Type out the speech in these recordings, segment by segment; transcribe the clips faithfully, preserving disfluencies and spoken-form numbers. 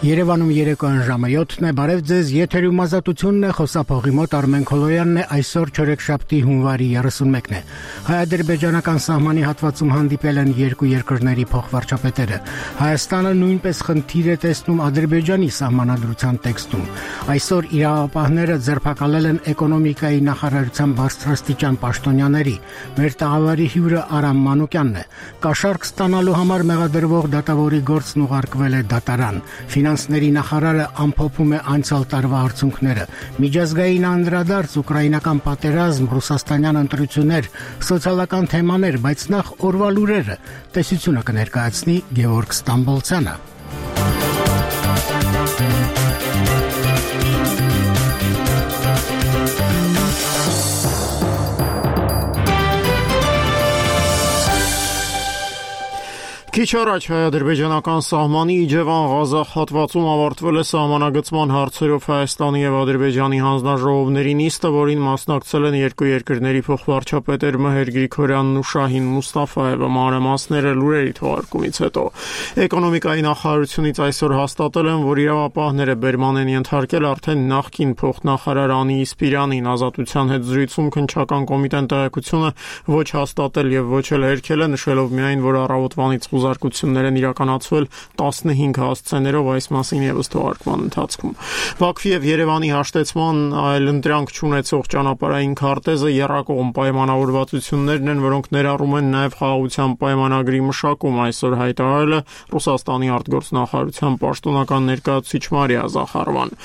Երևանում երեկոյան ժամը յոթն է, բարև ձեզ, եթերում ազատությունն է, խոսափողի մոտ Արմեն Քոլոյանն է, այսօր չորեքշաբթի հունվարի երեսունմեկն է։ Հայ-ադրբեջանական սահմանի հատվածում հանդիպել են երկու երկրների փոխվարչապետերը։ Հայաստանը նույնպես խնդիր է տեսնում Ադրբեջանի սահմանադրության տեքստում։ Այսօր իրավապահները ձերբակալել են էկոնոմիկայի նախարարության բարձրաստիճան պաշտոնյաների։ Մեր տաղավարի հյուրը Արամ Մանուկյանն է։ Կաշառք ստանալու համար մեղադրվող դատավորի գործն ուղարկվել է դատարան։ Ֆինանսների նախարարը ամփոփում է անցյալ տարվա արդյունքները։ Միջազգային անդրադարձ, ուկրաինական պատերազմ, ռուսաստանյան ընտրություններ, սոցիալական թեմաներ, բայց նախ օրվա լուրերը։ Տեսությունը կներկայացնի Գևորգ Ստամբոլցյանը։ Քիչ առաջ հայ-ադրբեջանական սահմանի Իջևան-Ղազախ հատվածում ավարտվել է սահմանագծման հարցերով Հայաստանի եւ Ադրբեջանի հանձնաժողովների նիստը, որին մասնակցել են երկու երկրների փոխվարչապետեր Մհեր Գրիգորյանն ու Շահին Մուստաֆաևը։ Մանրամասները լուրերի թողարկումից հետո էկոնոմիկայի նախարարությունից այսօր հաստատել են, որ իրավապահները բերման են ենթարկել արդեն նախկին փոխնախարար Անի Իսպիրյանին։ Ազատության հետ զրույցում քննչական կոմիտեն տեղեկությունը ոչ հաստատել եւ ոչ էլ հերքել է, նշելով միայն, որ առավոտվանից զարգություններ են իրականացվել տասնհինգ հասցեներով, այս մասին եւս թողարկման ընթացքում։ Բաքվի եւ Երևանի հաշտեցման այլընտրանք չունեցող ճանապարհային քարտեզը եռակողմ պայմանավորվածություններն են, որոնք ներառում են նաեւ խաղաղության պայմանագրի մշակում, այսօր հայտարարել է Ռուսաստանի արտգործնախարարության պաշտոնական ներկայացուցիչ Մարիա Զախարովան։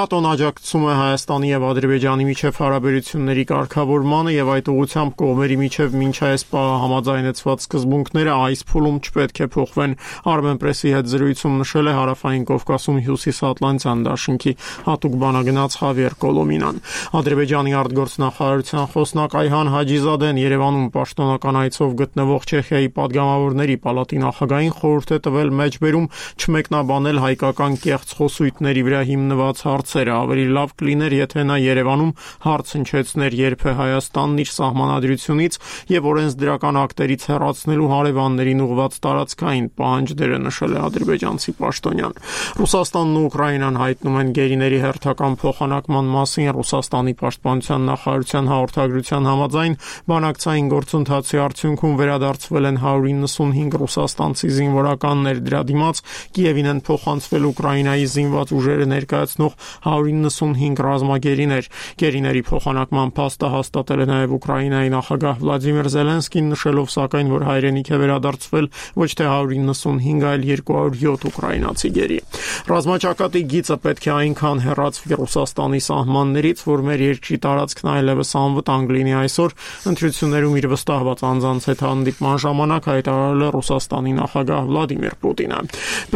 ՆԱՏՕ-ն աջակցում է Հայաստանի եւ Ադրբեջանի միջև հարաբերությունների կարգավորմանը եւ այդ ուղղությամբ կողմերի միջև մինչ այս պահը համաձայնեցված սկզբունքները այս փուլում պետք է փոխվեն, Armen Press-ի հետ զրույցում նշել է Հարավային Կովկասում Հյուսիսատլանտյան դաշինքի հատուկ բանագնաց Խավիեր Կոլոմինան։ Ադրբեջանի արտգործնախարարության խոսնակ Այհան Հաջիզադեն Երևանում պաշտոնական այցով գտնվող Չեխիայի падգամավորների պալատի նախագահին խորհուրդ է տվել մեջբերում չմեկնաբանել հայկական կեղծ խոսույթների վրա հիմնված հարցերը։ Ավելի լավ կլիներ, եթե նա Երևանում հարց հնչեցներ, երբ է Հայաստանն իր սահմանադրությունից եւ օրենսդրական ակտերից հեռացնելու հարևաններին ուղղված տարածքային պահանջները, նշել է ադրբեջանցի պաշտոնյան։ Ռուսաստանն ու Ուկրաինան հայտնում են գերիների հերթական փոխանակման մասին։ Ռուսաստանի պաշտպանության նախարարության հաղորդագրության համաձայն բանակցային գործընթացի արդյունքում վերադարձվել են հարյուր իննսունհինգ ռուսաստանցի զինվորականներ, դրա դիմաց Կիևին են փոխանցվել Ուկրաինայի զինված ուժերը ներկայացնող հարյուր իննսունհինգ ռազմագերիներ։ Գերիների փոխանակման փաստը հաստատել է նաև Ուկրաինայի նախագահ Վլադիմիր Զելենսկին, նշելով սակայն, որ հայրենիք է վերադարձվել ոչ թե հարյուր իննսունհինգ, այլ երկու հարյուր յոթ ուկրաինացի գերի։ Ռազմաճակատի գիծը պետք է այնքան հեռացվի Ռուսաստանի սահմաններից, որ մեր երկրի տարածքն այլևս անվտանգ լինի, այսօր ընտրություններում իր վստահված անձանց հետ հանդիպման ժամանակ հայտարարել է Ռուսաստանի նախագահ Վլադիմիր Պուտինը։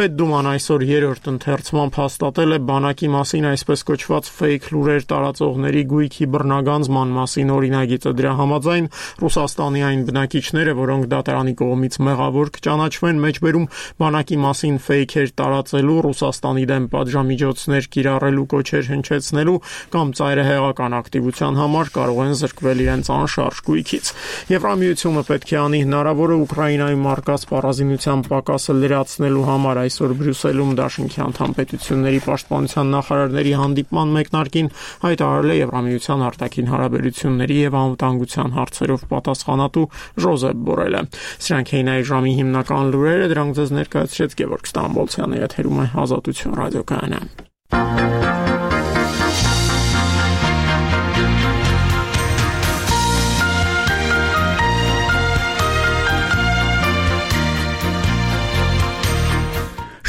Պետդուման այսօր երրորդ ընթերցմամբ հաստատել է բանակի մասին այսպես կոչված ֆեյք լուրեր տարածողների գույքի բռնագանձման մասին օրինագիծը։ Դրա համաձայն Ռուսաստանի այն բնակիչները, որոնք դատարանի կողմից մեղավոր կճանաչվեն, մեջբերում բանակի մասին ֆեյքեր տարածելու, Ռուսաստանի դեմ պատժամիջոցներ կիրառելու, կոչեր հնչեցնելու կամ ծայրահեղական ակտիվության համար կարող են զրկվել իրենց անշարժ գույքից։ Եվրամիությունը պետք է անի հնարավորը Ուկրաինայում առկա սպառազինության պակասը լրացնելու համար։ Այսօր Բրյուսելում դաշինքի անդամ պետությունների պաշտպանության նախարարների հանդիպման մեկնարկին հայտարարել է Եվրամիության արտաքին հարաբերությունների եւ անվտանգության հարցերով պատասխանատու Ժոզեփ Բորելը։ Սրանք էին այս ժամի հիմնական լուրերը, դրանք ձեզ ներկայացրեց Գևորգ Ստամբոլցյանը, եթերում է Ազատություն ռադիոկայանը։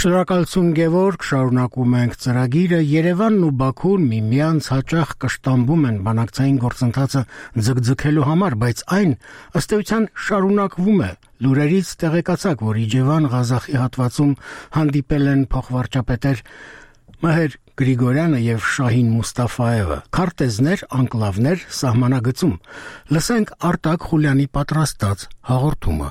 Շնորհակալություն Գևորգ, շարունակում ենք ծրագիրը։ Երևանն ու Բաքուն միմյանց հաճախ կշտամբում են բանակցային գործընթացը ձգձգելու համար, բայց այն ըստ էության շարունակվում է։ Լուրերից տեղեկացաք, որ Իջևան-Ղազախի հատվածում հանդիպել են փոխվարչապետեր Մհեր Գրիգորյանը եւ Շահին Մուստաֆաևը։ Քարտեզներ, անկլավներ, սահմանագծում։ Լսենք Արտակ Խուլյանի պատրաստած հաղորդումը։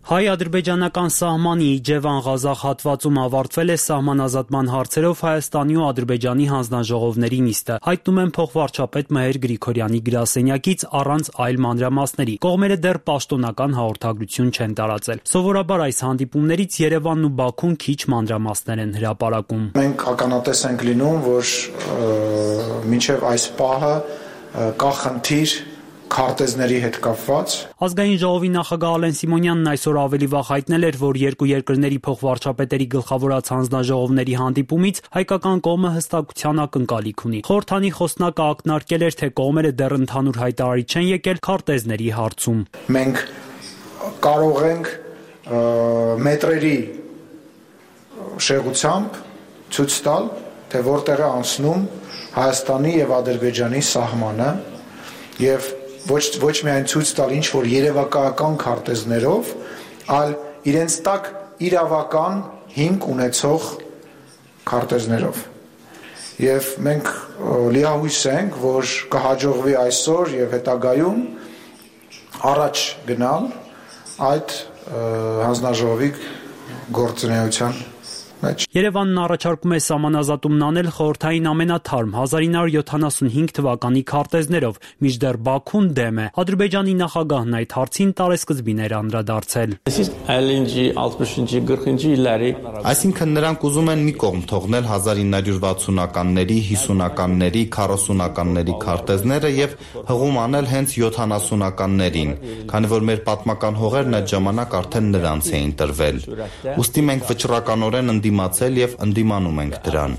Հայ-ադրբեջանական սահմանի Իջևան-Ղազախ հատվածում ավարտվել է սահմանազատման հարցերով Հայաստանի ու Ադրբեջանի հանձնաժողովների նիստը, հայտնում են փոխվարչապետ Մհեր Գրիգորյանի գրասենյակից առանց այլ մանրամասների։ Կողմերը դեռ պաշտոնական հաղորդագրություն չեն տարածել։ Սովորաբար այս հանդիպումներից Երևանն ու Բաքուն քիչ մանրամասներ են հրապարակում։ Մենք ականատես ենք լինում, որ մինչև այս պահը կա խնդիր քարտեզների հետ կապված։ Ազգային ժողովի նախագահ Ալեն Սիմոնյանն այսօր ավելի վաղ հայտնել էր, որ երկու երկրների փոխվարչապետերի գլխավորած հանձնաժողովների հանդիպումից հայկական կողմը հստակության ակնկալիք ունի։ Խորհրդանի խոսնակը ակնարկել էր, թե կողմերը դեռ ընդհանուր հայտարարի չեն եկել քարտեզների հարցում։ Մենք կարող ենք մետրերի շեղությամբ ցույց տալ, թե որտեղ է անցնում Հայաստանի եւ Ադրբեջանի սահմանը եւ ոչ ոչ միայն ցույց տալ ինչ որ երևակայական քարտեզներով, այլ իրենց տակ իրավական հիմք ունեցող քարտեզներով։ Եվ մենք լիահույս ենք, որ կհաջողվի այսօր եւ հետագայում առաջ գնալ այդ հանձնաժողովի գործունեության մեջ։ Երևանն առաջարկում է սահմանազատումն անել խորհրդային ամենաթարմ հազար ինը հարյուր յոթանասունհինգ թվականի քարտեզներով, մինչդեռ Բաքուն դեմ է։ Ադրբեջանի նախագահն այդ հարցին տարեսկզբին էր անդրադարձել։ Այսինքն նրանք ուզում են մի կողմ թողնել հազար ինը հարյուր վաթսունականների, հիսունականների, քառասունականների քարտեզները եւ հղում անել հենց յոթանասունականներին, քանի որ մեր պատմական հողերն այդ ժամանակ արդեն նրանց էին տրվել։ Ուստի մենք վճռականորեն ընդդիմացել եւ ընդդիմանում ենք դրան։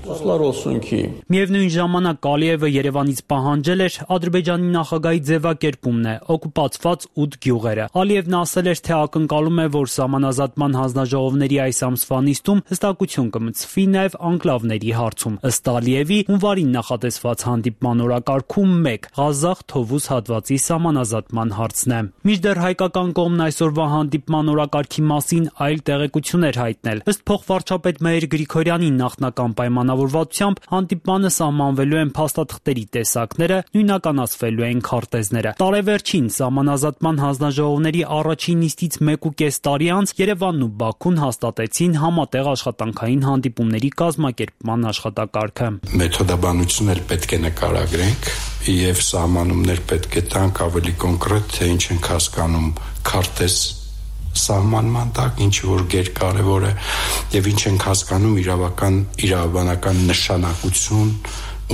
Միևնույն ժամանակ Ալիևը Երևանից պահանջել էր Ադրբեջանի նախագահի ձևակերպումն է օկուպացված ութ գյուղերը։ Ալիևն ասել էր, թե ակնկալում է, որ սահմանազատման հանձնաժողովների այս ամսվա նիստում հստակություն կմտցվի նաեւ անկլավների հարցում։ Ըստ Ալիևի հունվարին նախատեսված հանդիպման օրակարգում մեկ Ղազախ Թովուզ հատվածի սահմանազատման հարցն է։ Մինչդեռ հայկական կողմն այսօրվա հանդիպման օրակարգի մասին այլ տեղեկություններ հայտնել։ Ըստ փոխվարչապետ Մհեր Գրիգորյանի նախնական պայմանավորվածությամբ հանդիպմանը սահմանվելու են փաստաթղթերի տեսակները, նույնականացվելու են քարտեզները։ Տարեվերջին սահմանազատման հանձնաժողովների առաջին նիստից մեկ ու կես տարի անց Երևանն ու Բաքուն հաստատեցին համատեղ աշխատանքային հանդիպումների կազմակերպման աշխատակարգը։ Մեթոդաբանություն էլ պետք է նկարագրենք եւ սահմանումներ պետք է տանք ավելի կոնկրետ, թե ինչ ենք հասկանում քարտեզ սահմանման տակ, ինչ որ գերկարևոր է եւ ինչ ենք հասկանում իրավական իրավաբանական նշանակություն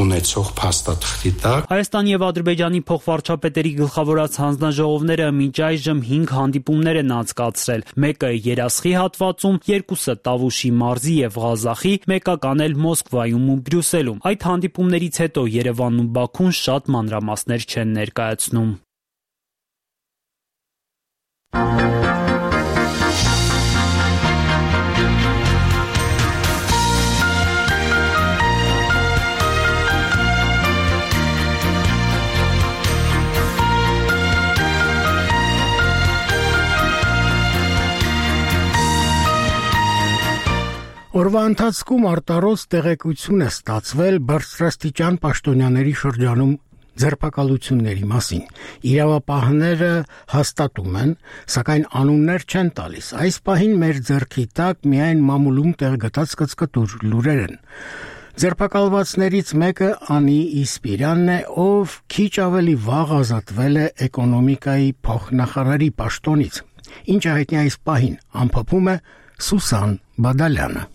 ունեցող փաստաթղթի տակ։ Հայաստանի եւ Ադրբեջանի փոխվարչապետերի գլխավորած հանձնաժողովները մինչ այժմ հինգ հանդիպումներ են անցկացրել։ Մեկը Երասխի հատվածում, երկուսը Տավուշի մարզի եւ Ղազախի, մեկական էլ Մոսկվայում ու Բրյուսելում։ Այդ հանդիպումներից հետո Երևանն ու Բաքուն շատ մանրամասներ չեն ներկայացնում։ Օրվա ընթացքում արտարոց տեղեկություն է ստացվել բարձրաստիճան պաշտոնյաների շրջանում ձերբակալությունների մասին։ Իրավապահները հաստատում են, սակայն անուններ չեն տալիս։ Այս պահին մեր ձեռքի տակ միայն մամուլում տեղգտած կծկտուր լուրեր են։ Ձերբակալվածներից մեկը Անի Իսպիրյանն է, ով քիչ ավելի վաղ ազատվել է էկոնոմիկայի փոխնախարարի պաշտոնից։ Ինչը հայտնի այս պահին, ամփոփում է Սուսան Բադալյանը։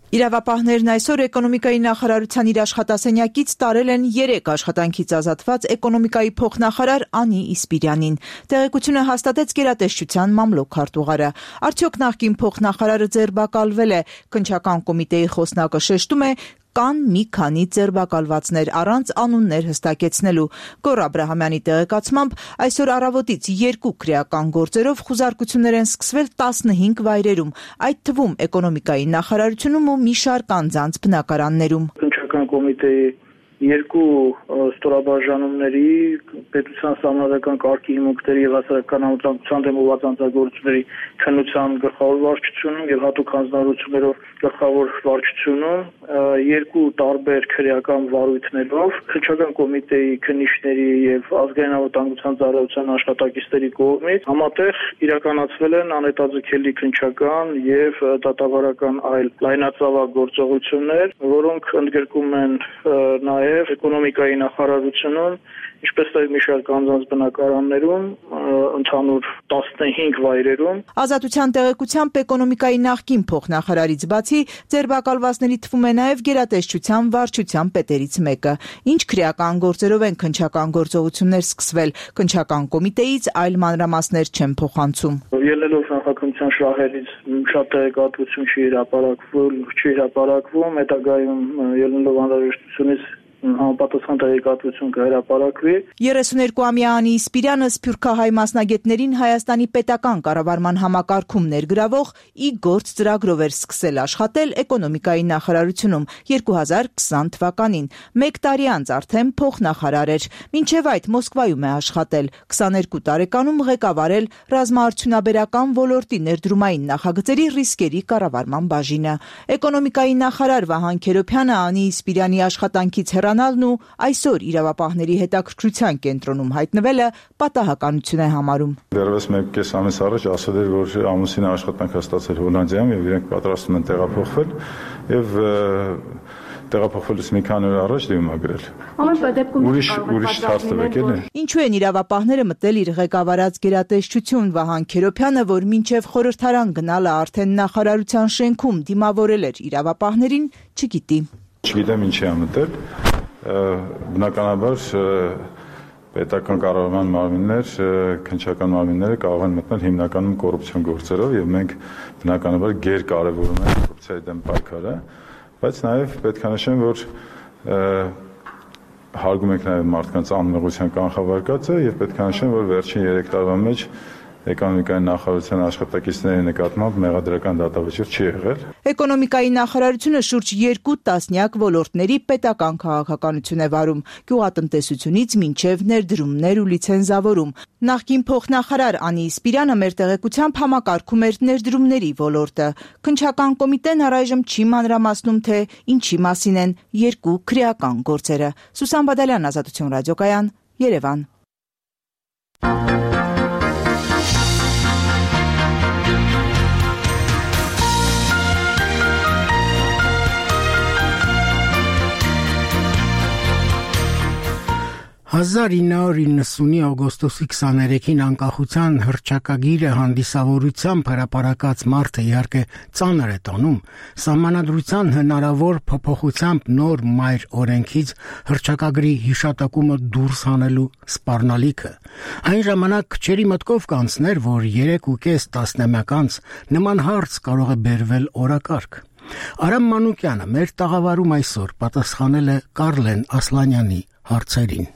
Իրավապահներն այսօր էկոնոմիկայի նախարարության իր աշխատասենյակից տարել են երեք աշխատանքից ազատված էկոնոմիկայի փոխնախարար Անի Իսպիրյանին։ Տեղեկությունը հաստատեց գերատեսչության մամլոք քարտուղարը։ Արդյոք նախկին փոխնախարարը ձերբակալվել է։ Քննչական կոմիտեի խոսնակը շեշտում է, կան մի քանի ձերբակալվածներ առանց անուններ հստակեցնելու։ Գոռ Աբրահամյանի տեղեկացմամբ այսօր առավոտից երկու քրեական գործերով խուզարկություններ են սկսվել տասնհինգ վայրերում, այդ թվում էկոնոմիկայի նախարարությունում ու մի շարք անձանց բնակարաններում։ Քննչական կոմիտեի երկու ստորաբաժանումների պետության սահմանադրական կարգի հիմունքների եւ հասարակական անվտանգության դեմ ուղղված անձնագործությունների քննության գլխավոր վարչությունում եւ հատուկ հանձնարարություններով գլխավոր վարչությունում երկու տարբեր քրեական վարույթներով քննչական կոմիտեի քննիչների եւ ազգային անվտանգության ծառայության աշխատակիցների կողմից համատեղ իրականացվել են անհետաձգելի քննչական եւ դատավարական այլ լայնածավալ գործողություններ, որոնք ընդգրկում են նաեւ էկոնոմիկայի նախարարությունում, ինչպես նաև մի շարք անձանց բնակարաններում, ընդհանուր տասնհինգ վայրերում։ Ազատության տեղեկությամբ էկոնոմիկայի նախկին փոխնախարարից բացի ձերբակալվածների թվում է նաև գերատեսչության վարչության պետերից մեկը։ Ինչ քրեական գործերով են քննչական գործողություններ սկսվել, քննչական կոմիտեից այլ մանրամասներ չեն փոխանցում։ Ելնելով նախաքննության շահերից շատ տեղեկատվություն չի հրապարակվում, չի հրապարակվում, հետագայում ելնելով անհրաժեշտությունից համապատասխան տեղեկատվություն կհրապարակվի։ երեսուներկուամյա Անի Իսպիրյանը սփյուռքահայ մասնագետներին Հայաստանի պետական կառավարման համակարգում ներգրավող ի գործ ծրագրով էր սկսել աշխատել էկոնոմիկայի նախարարությունում երկու հազար քսան թվականին։ Մեկ տարի անց արդեն փոխնախարար էր։ Մինչև այդ Մոսկվայում է աշխատել։ քսաներկու տարեկանում ղեկավարել ռազմաարդյունաբերական ոլորտի ներդրումային նախագծերի ռիսկերի կառավարման բաժինը։ Էկոնոմիկայի նախարար Վահան Քերոբյանը Անի Իսպիրյանի աշխատանքից հեռանալն ու այսօր իրավապահների հետաքրքրության կենտրոնում հայտնվելը պատահականություն է համարում։ Դեռևս մեկ կես ամիս առաջ ասել էր, որ ամուսինը աշխատանք է ստացել Հոլանդիայում եւ իրենք պատրաստվում են տեղափոխվել եւ տեղափոխվելուց մի քանի օր առաջ դիմագրել։ Ուրիշ ուրիշ հարց տվեք էլի։ Ինչու են իրավապահները մտել իր ղեկավարած գերատեսչություն Վահան Քերոբյանը, որ մինչև խորհրդարան գնալը արդեն նախարարության շենքում դիմավորել էր իրավապահներին, չգիտի։ Չգիտեմ ինչի է մտել, բնականաբար պետական կառավարման մարմիններ, քննչական մարմինները կարող են մտնել հիմնականում կոռուպցիոն գործերով եւ մենք բնականաբար գերկարևորում ենք կոռուպցիայի դեմ պայքարը, բայց նաեւ պետք է նշեմ, որ հարգում ենք նաեւ մարդկանց անմեղության կանխավարկածը եւ պետք է նշեմ, որ վերջին երեք տարվա մեջ էկոնոմիկայի նախարարության աշխատակիցների նկատմամբ մեղադրական դատավճիռ չի եղել։ Էկոնոմիկայի նախարարությունը շուրջ երկու տասնյակ ոլորտների պետական քաղաքականություն է վարում, գյուղատնտեսությունից մինչև ներդրումներ ու լիցենզավորում։ Նախկին փոխնախարար Անի Իսպիրյանը մեր տեղեկությամբ համակարգում էր ներդրումների ոլորտը։ Քննչական կոմիտեն առայժմ չի մանրամասնում, թե ինչի մասին են երկու քրեական գործերը։ Սուսան Բադալյան, Ազատություն ռադիոկայան, Երևան։ հազար ինը հարյուր իննսունի օգոստոսի քսաներեքին անկախության հռչակագիրը հանդիսավորությամբ հրապարակած մարդը իհարկե ծանր է տոնում, սահմանադրության հնարավոր փոփոխությամբ նոր մայր օրենքից հռչակագրի հիշատակումը դուրս հանելու սպառնալիքը։ Այն ժամանակ քչերի մտքով կանցներ, որ երեք ու կես տասնամյակ անց նման հարց կարող է բերվել օրակարգ։ Արամ Մանուկյանը մեր տաղավարում այսօր պատասխանել է Կարլեն Ասլանյանի հարցերին։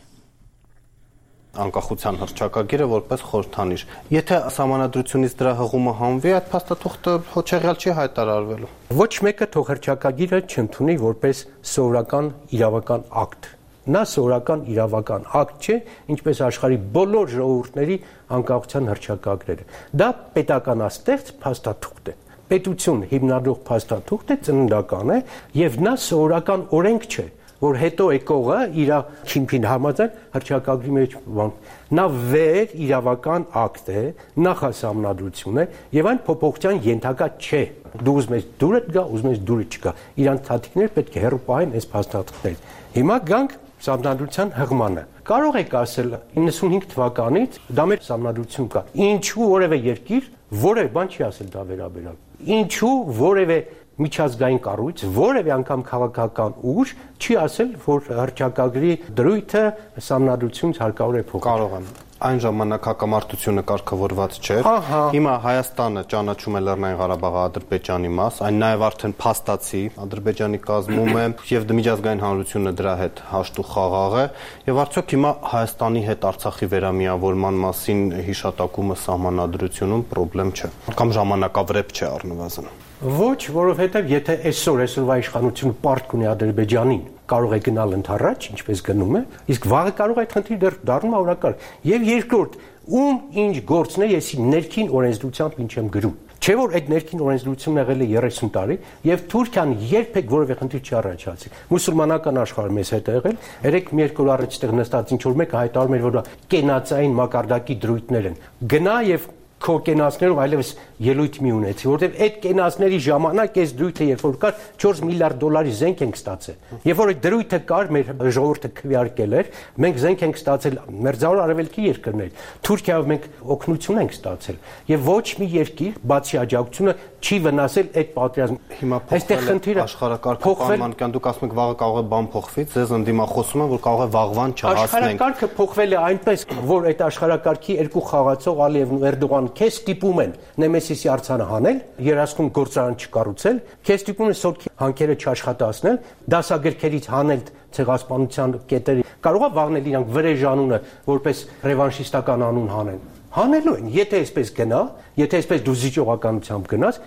Անկախության հռչակագիրը որպես խորհրդանիշ։ Եթե սահմանադրությունից դրա հղումը հանվի, այդ փաստաթուղթը հոչեղյալ չի հայտարարվելու։ Ոչ մեկը թող հռչակագիրը չընդունի որպես սովորական իրավական ակտ։ Նա սովորական իրավական ակտ չէ, ինչպես աշխարհի բոլոր ժողովուրդների անկախության հռչակագրերը։ Դա պետականաստեղծ փաստաթուղթ է։ Պետություն հիմնադրող փաստաթուղթ է, ծննդական է, եւ նա սովորական օրենք չէ, որ հետո եկողը իր քիմփին համաձայն հռչակագրի մեջ բան։ Նա վեր իրավական ակտ է, նախասահմանադրություն է եւ այն փոփոխության ենթակա չէ։ Դու ուզում ես դուրդ գա, ուզում ես դուրը չգա։ Իրանց թաթիկներ պետք է հեռու պահեն այս փաստաթղթերից։ Հիմա գանք սահմանադրության հղմանը։ Կարող եք ասել իննսունհինգ թվականից դա մեր սահմանադրություն կա։ Ինչու որևէ երկիր որևէ բան չի ասել դա վերաբերյալ։ Ինչու որևէ միջազգային կառույց, որևէ անգամ քաղաքական ուժ չի ասել, որ հռչակագրի դրույթը սահմանադրությունից հարկավոր է փոխել։ Կարող եմ։ Այն ժամանակ հակամարտությունը կարգավորված չէր։ Հիմա Հայաստանը ճանաչում է Լեռնային Ղարաբաղը Ադրբեջանի մաս, այն նաև արդեն փաստացի Ադրբեջանի կազմում է եւ միջազգային հանրությունը դրա հետ հաշտ ու խաղաղ է եւ արդյոք հիմա Հայաստանի հետ Արցախի վերամիավորման մասին հիշատակումը սահմանադրությունում խնդրեմ չէ։ Կամ ժամանակավրեպ չէ առնվազն։ Ոչ, որովհետև եթե այսօր այսօրվա իշխանությունը պարտք ունի Ադրբեջանին, կարող է գնալ ընդառաջ, ինչպես գնում է, իսկ վաղը կարող է այդ խնդիրը դեռ դառնում օրակարգ։ Եվ երկրորդ, ում ինչ գործն է, ես ներքին օրենսդրությամբ ինչ եմ գրում։ Չէ՞ որ այդ ներքին օրենսդրությունն եղել է երեսուն տարի եւ Թուրքիան երբեք որևէ խնդիր չի առաջացրել։ Մուսուլմանական աշխարհը մեզ հետ է եղել, երեք մի երկու օր առաջ այդտեղ նստած ինչ որ մեկը հայտարարում էր, որ կենացային մակարդակի դրույթներ են։ Գնա եւ քո կենացներով այլևս ելույթ մի ունեցի, որովհետև այդ կենացների ժամանակ այս դրույթը երբ որ կար չորս միլիարդ դոլարի զենք ենք ստացել։ Երբ որ այդ դրույթը կար, մեր ժողովուրդը քվեարկել էր, մենք զենք ենք ստացել մերձավոր արևելքի երկրներ։ Թուրքիայով մենք օգնություն ենք ստացել եւ ոչ մի երկիր, բացի աջակցությունը, չի վնասել այդ պատերազմը։ Հիմա այստեղ խնդիրը աշխարհակարգը պայմանական դուք ասում եք վաղը կարող է բան փոխվի, ձեզ ընդդիմախոսում են, որ կարող է վաղվան չհասնենք։ Աշխարհակարգը փոխվել է այնպես, որ այդ աշխարհակարգի երկու խաղացող Ալիևն ու Էրդողան քեզ ստիպում են Նեմեսիսի արձանը հանել, երազքում գործարան չկառուցել, քեզ ստիպում են սորքի հանքերը չաշխատացնել, դասագրքերից հանել ցեղասպանության կետերի։ Կարող է վաղնել իրանք վրեժ անունը որպես ռևանշիստական անուն հանեն։ Հանելու են, եթե այսպես գնա, եթե այսպես դու զիջողականությամբ գնաս,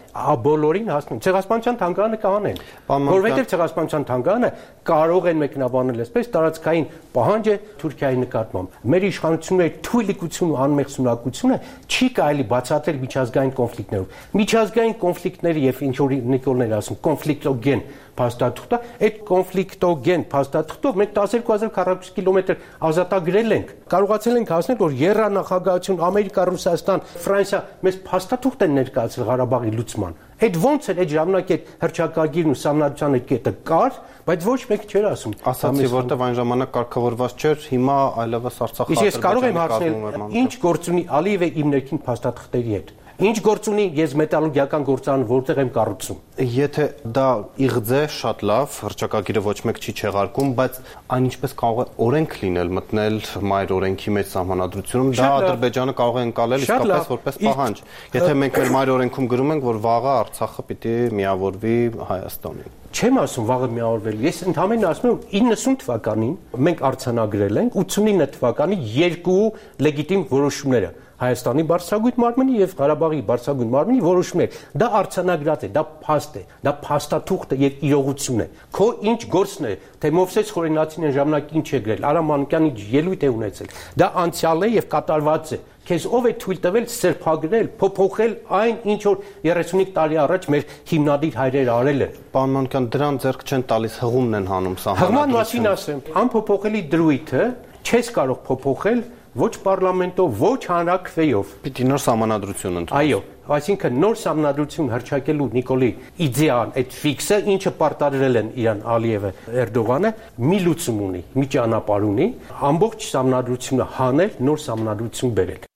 բոլորին հասնում։ Ցեղասպանության թանգարանը կհանեն, որովհետև ցեղասպանության թանգարանը կարող են մեկնաբանել այսպես տարածքային պահանջ է Թուրքիայի նկատմամբ։ Մեր իշխանությունների թույլիկություն ու անմեղսունակությունը չի կարելի բացատրել միջազգային կոնֆլիկտներով։ Միջազգային կոնֆլիկտների եւ ինչ որ Նիկոլներ ասում, կոնֆլիկտոգեն փաստաթուղթը, այդ կոնֆլիկտոգեն փաստաթուղթով մենք տասնյակ հազար քառակուսի կիլոմետր ազատագրել ենք։ Կարողացել ենք հասնել, որ եռանախագահություն Ամերիկա, Ռուսաստան, Ֆրանսիա մեզ փաստաթուղթ են ներկայացրել Ղարաբաղի լուծման։ Այդ ոնց էր այդ ժամանակ այդ հռչակագիրն ու սահմանադրության այդ կետը կար, բայց ոչ մեկ չէր ասում։ Ասացի, որտեվ այն ժամանակ կարգավորված չէր, հիմա այլևս Արցախը։ Իսկ ես կարող եմ հարցնել, ինչ գործ ունի Ալիևը իմ ներքին փաստաթղթերի հետ։ Ինչ գործ ունի ես մետալուրգիական գործարան որտեղ եմ կառուցում։ Եթե դա իղձ է, շատ լավ, հռչակագիրը ոչ մեկ չի չեղարկում, բայց այն ինչպես կարող է օրենք լինել, մտնել մայր օրենքի մեջ սահմանադրությունում, դա Ադրբեջանը կարող է ընկալել իսկապես որպես պահանջ։ Եթե մենք մեր մայր օրենքում գրում ենք, որ վաղը Արցախը պիտի միավորվի Հայաստանին։ Չեմ ասում վաղը միավորվել։ Ես ընդհանրապես ասում եմ իննսուն թվականին մենք արձանագրել ենք ութսունինը թվականի երկու լեգիտիմ որոշումները։ Հայաստանի բարձրագույն մարմնի եւ Ղարաբաղի բարձրագույն մարմնի որոշումներ։ Դա արձանագրած է, դա փաստ է, դա փաստաթուղթ է եւ իրողություն է։ Քո ինչ գործն է, թե Մովսես Խորենացին այն ժամանակ ինչ է գրել, Արամ Մանուկյանի ելույթ է ունեցել։ Դա անցյալ է եւ կատարված է։ Քեզ ով է թույլ տվել սրբագրել, փոփոխել այն, ինչ որ երեսունհինգ տարի առաջ մեր հիմնադիր հայրերը արել են։ Պարոն Մանուկյան, դրան ձեռք չեն տալիս, հղումն են հանում սահմանադրությունը։ Հղման մասին ասեմ, անփոփոխելի դրույթը չես կարող փոփոխել ոչ պարլամենտով, ոչ հանրաքվեով։ Պիտի նոր սահմանադրություն ընդունեն։ Այո, այսինքն նոր սահմանադրություն հռչակելու Նիկոլի իդեան, այդ ֆիքսը, ինչը պարտադրել են իրան Ալիևը, Էրդողանը, մի լուծում ունի, մի ճանապարհ ունի, ամբողջ սահմանադրությունը հանել, նոր սահմանադրություն բերել։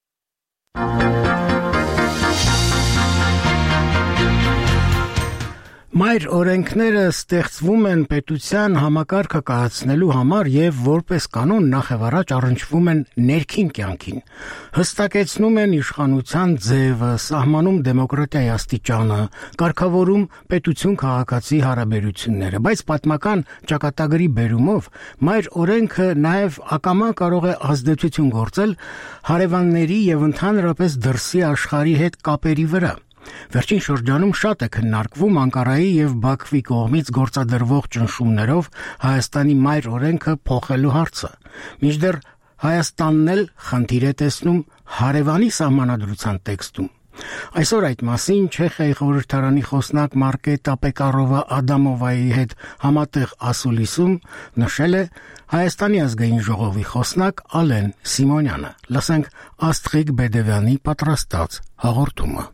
Մայր օրենքները ստեղծվում են պետության համակարգը կայացնելու համար եւ որպես կանոն նախևառաջ առնչվում են ներքին կյանքին, հստակեցնում են իշխանության ձևը, սահմանում դեմոկրատիայի աստիճանը, կարգավորում պետություն-քաղաքացի հարաբերությունները, բայց պատմական ճակատագրի բերումով մայր օրենքը նաեւ ակամա կարող է ազդեցություն գործել հարևանների եւ ընդհանրապես դրսի աշխարհի հետ կապերի վրա։ Վերջին շրջանում շատ է քննարկվում Անկարայի եւ Բաքվի կողմից գործադրվող ճնշումներով Հայաստանի մայր օրենքը փոխելու հարցը։ Մինչդեռ Հայաստանն էլ խնդիր է տեսնում հարևանի սահմանադրության տեքստում։ Այսօր այդ մասին Չեխիայի խորհրդարանի խոսնակ Մարկետա Պեկարովա Ադամովայի հետ համատեղ ասուլիսում նշել է Հայաստանի ազգային ժողովի խոսնակ Ալեն Սիմոնյանը։ Լսենք Աստղիկ Բեդևյանի պատրաստած հաղորդումը։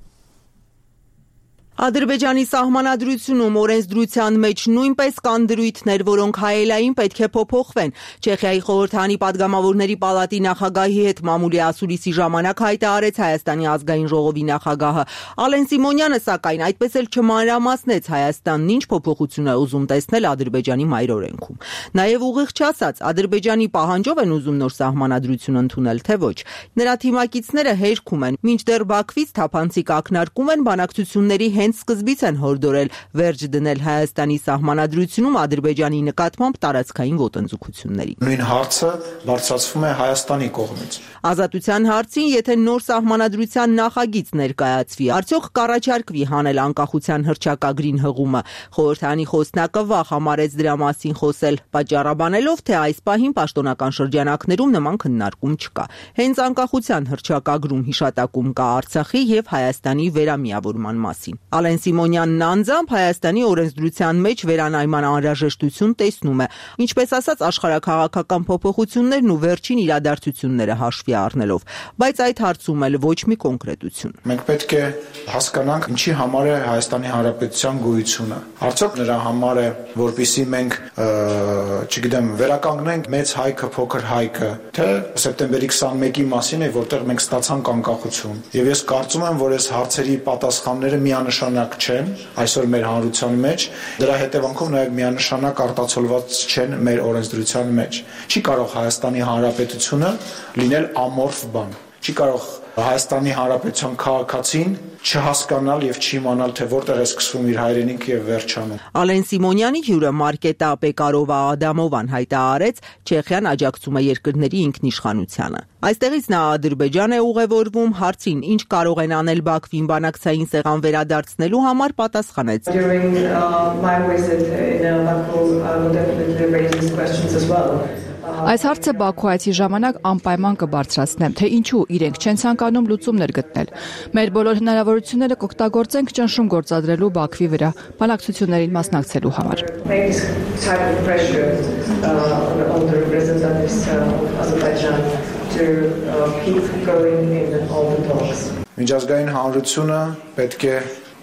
Ադրբեջանի սահմանադրությունում օրենսդրության մեջ նույնպես կան դրույթներ, որոնք հայելային պետք է փոփոխվեն։ Չեխիայի խորհրդարանի падգամավորների պալատի նախագահի հետ մամուլի ասուլիսի ժամանակ հայտարարեց Հայաստանի ազգային ժողովի նախագահը։ Ալեն Սիմոնյանը, սակայն, այդպես էլ չմանրամասնեց Հայաստանն ինչ փոփոխություն է ուզում տեսնել Ադրբեջանի մայր օրենքում։ Նաև ուղիղ չասած, Ադրբեջանի պահանջով են ուզում նոր սահմանադրություն ընդունել, թե ոչ։ Նրա թիմակիցները հերքում են, մինչդեռ Բաքվից թափանցիկ ակնարկում են բանակցությունների հենց սկզբից են հորդորել վերջ դնել Հայաստանի սահմանադրությունում Ադրբեջանի նկատմամբ տարածքային ոտնձգությունների։ Նույն հարցը բարձրացվում է Հայաստանի կողմից։ Ազատության հարցին, եթե նոր սահմանադրության նախագիծ ներկայացվի, արդյոք կառաջարկվի հանել անկախության հռչակագրին հղումը։ Խորհրդարանի խոսնակը վախ համարեց դրա մասին խոսել, պատճառաբանելով, թե այս պահին պաշտոնական շրջանակներում նման քննարկում չկա։ Հենց անկախության հռչակագրում հիշատակում կա Արցախի եւ Հայաստանի վերամիավորման մասին։ Ալեն Սիմոնյանն անձամբ Հայաստանի օրենսդրության մեջ վերանայման անհրաժեշտություն տեսնում է, ինչպես ասած աշխարհաքաղաքական փոփոխություններն ու վերջին իրադարձությունները հաշվի առնելով, բայց այդ հարցում էլ ոչ մի կոնկրետություն։ Մենք պետք է հասկանանք, ինչի համար է Հայաստանի Հանրապետության գոյությունը։ Արդյոք նրա համար է, որպեսզի մենք, չգիտեմ, վերականգնենք մեծ հայքը, փոքր հայքը, թե սեպտեմբերի քսանմեկի մասին է, որտեղ մենք ստացանք անկախություն։ Եվ ես կարծում եմ, որ այս հարցերի պատասխանները միանշանակ չեն այսօր մեր հանրության մեջ, դրա հետևանքով նաև միանշանակ արտացոլված չեն մեր օրենսդրության մեջ։ Չի կարող Հայաստանի Հանրապետությունը լինել ամորֆ բան։ Չի կարող Հայաստանի Հանրապետության քաղաքացին չհասկանալ եւ չիմանալ, թե որտեղ է սկսվում իր հայրենիքը եւ վերջանում։ Ալեն Սիմոնյանի հյուրը Մարկետա Պեկարովա Ադամովան հայտարարեց, Չեխիան աջակցում է երկրների ինքնիշխանությանը։ Այստեղից նա Ադրբեջան է ուղևորվում, հարցին ինչ կարող են անել Բաքվին բանակցային սեղան վերադարձնելու համար պատասխանեց. Այս հարցը Բաքու այցի ժամանակ անպայման կբարձրացնեմ, թե ինչու իրենք չեն ցանկանում լուծումներ գտնել։ Մեր բոլոր հնարավորությունները կօգտագործենք ճնշում գործադրելու Բաքվի վրա, բանակցություններին մասնակցելու համար։ Միջազգային հանրությունը պետք է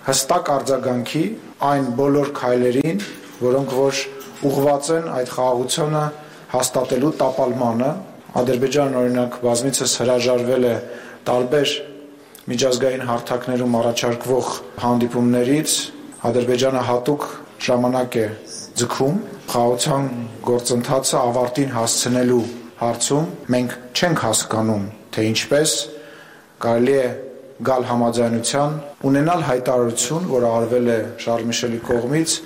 հստակ արձագանքի այն բոլոր քայլերին, որոնք որ ուղղված են այդ խաղաղությունը հաստատելու տապալմանը։ Ադրբեջանն օրինակ բազմիցս հրաժարվել է տարբեր միջազգային հարթակներում առաջարկվող հանդիպումներից, Ադրբեջանը հատուկ ժամանակ է ձգում խաղաղության գործընթացը ավարտին հասցնելու հարցում։ Մենք չենք հասկանում, թե ինչպես կարելի է գալ համաձայնության, ունենալ հայտարարություն, որը արվել է Շարլ Միշելի կողմից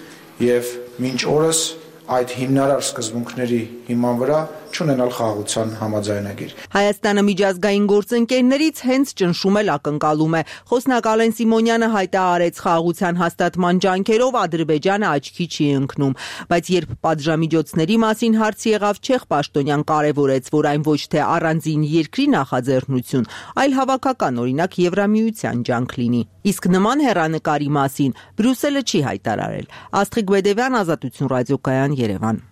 եւ մինչ օրս այդ հիմնարար սկզբունքների հիման վրա չունենալ խաղաղության համաձայնագիր։ Հայաստանը միջազգային գործընկերներից հենց ճնշում էլ ակնկալում է։ Խոսնակ Ալեն Սիմոնյանը հայտարարեց, խաղաղության հաստատման ջանքերով Ադրբեջանը աչքի չի ընկնում, բայց երբ պատժամիջոցների մասին հարց եղավ, չեխ պաշտոնյան կարևորեց, որ այն ոչ թե առանձին երկրի նախաձեռնություն, այլ հավաքական, օրինակ Եվրամիության ջանք լինի։ Իսկ նման հեռանկարի մասին Բրյուսելը չի հայտարարել։ Աստղիկ Բեդևյան, Ազատություն ռադիոկայան, Երևան։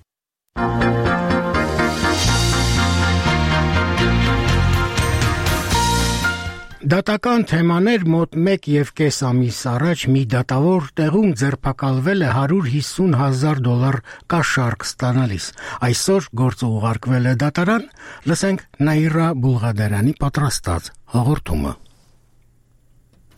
Դատական թեմաներ մոտ մեկ եւ կես ամիս առաջ մի դատավոր տեղում ձերբակալվել է հարյուր հիսուն հազար դոլար կաշառք ստանալիս։ Այսօր գործը ուղարկվել է դատարան, լսենք Նաիրա Բուլղադարյանի պատրաստած հաղորդումը։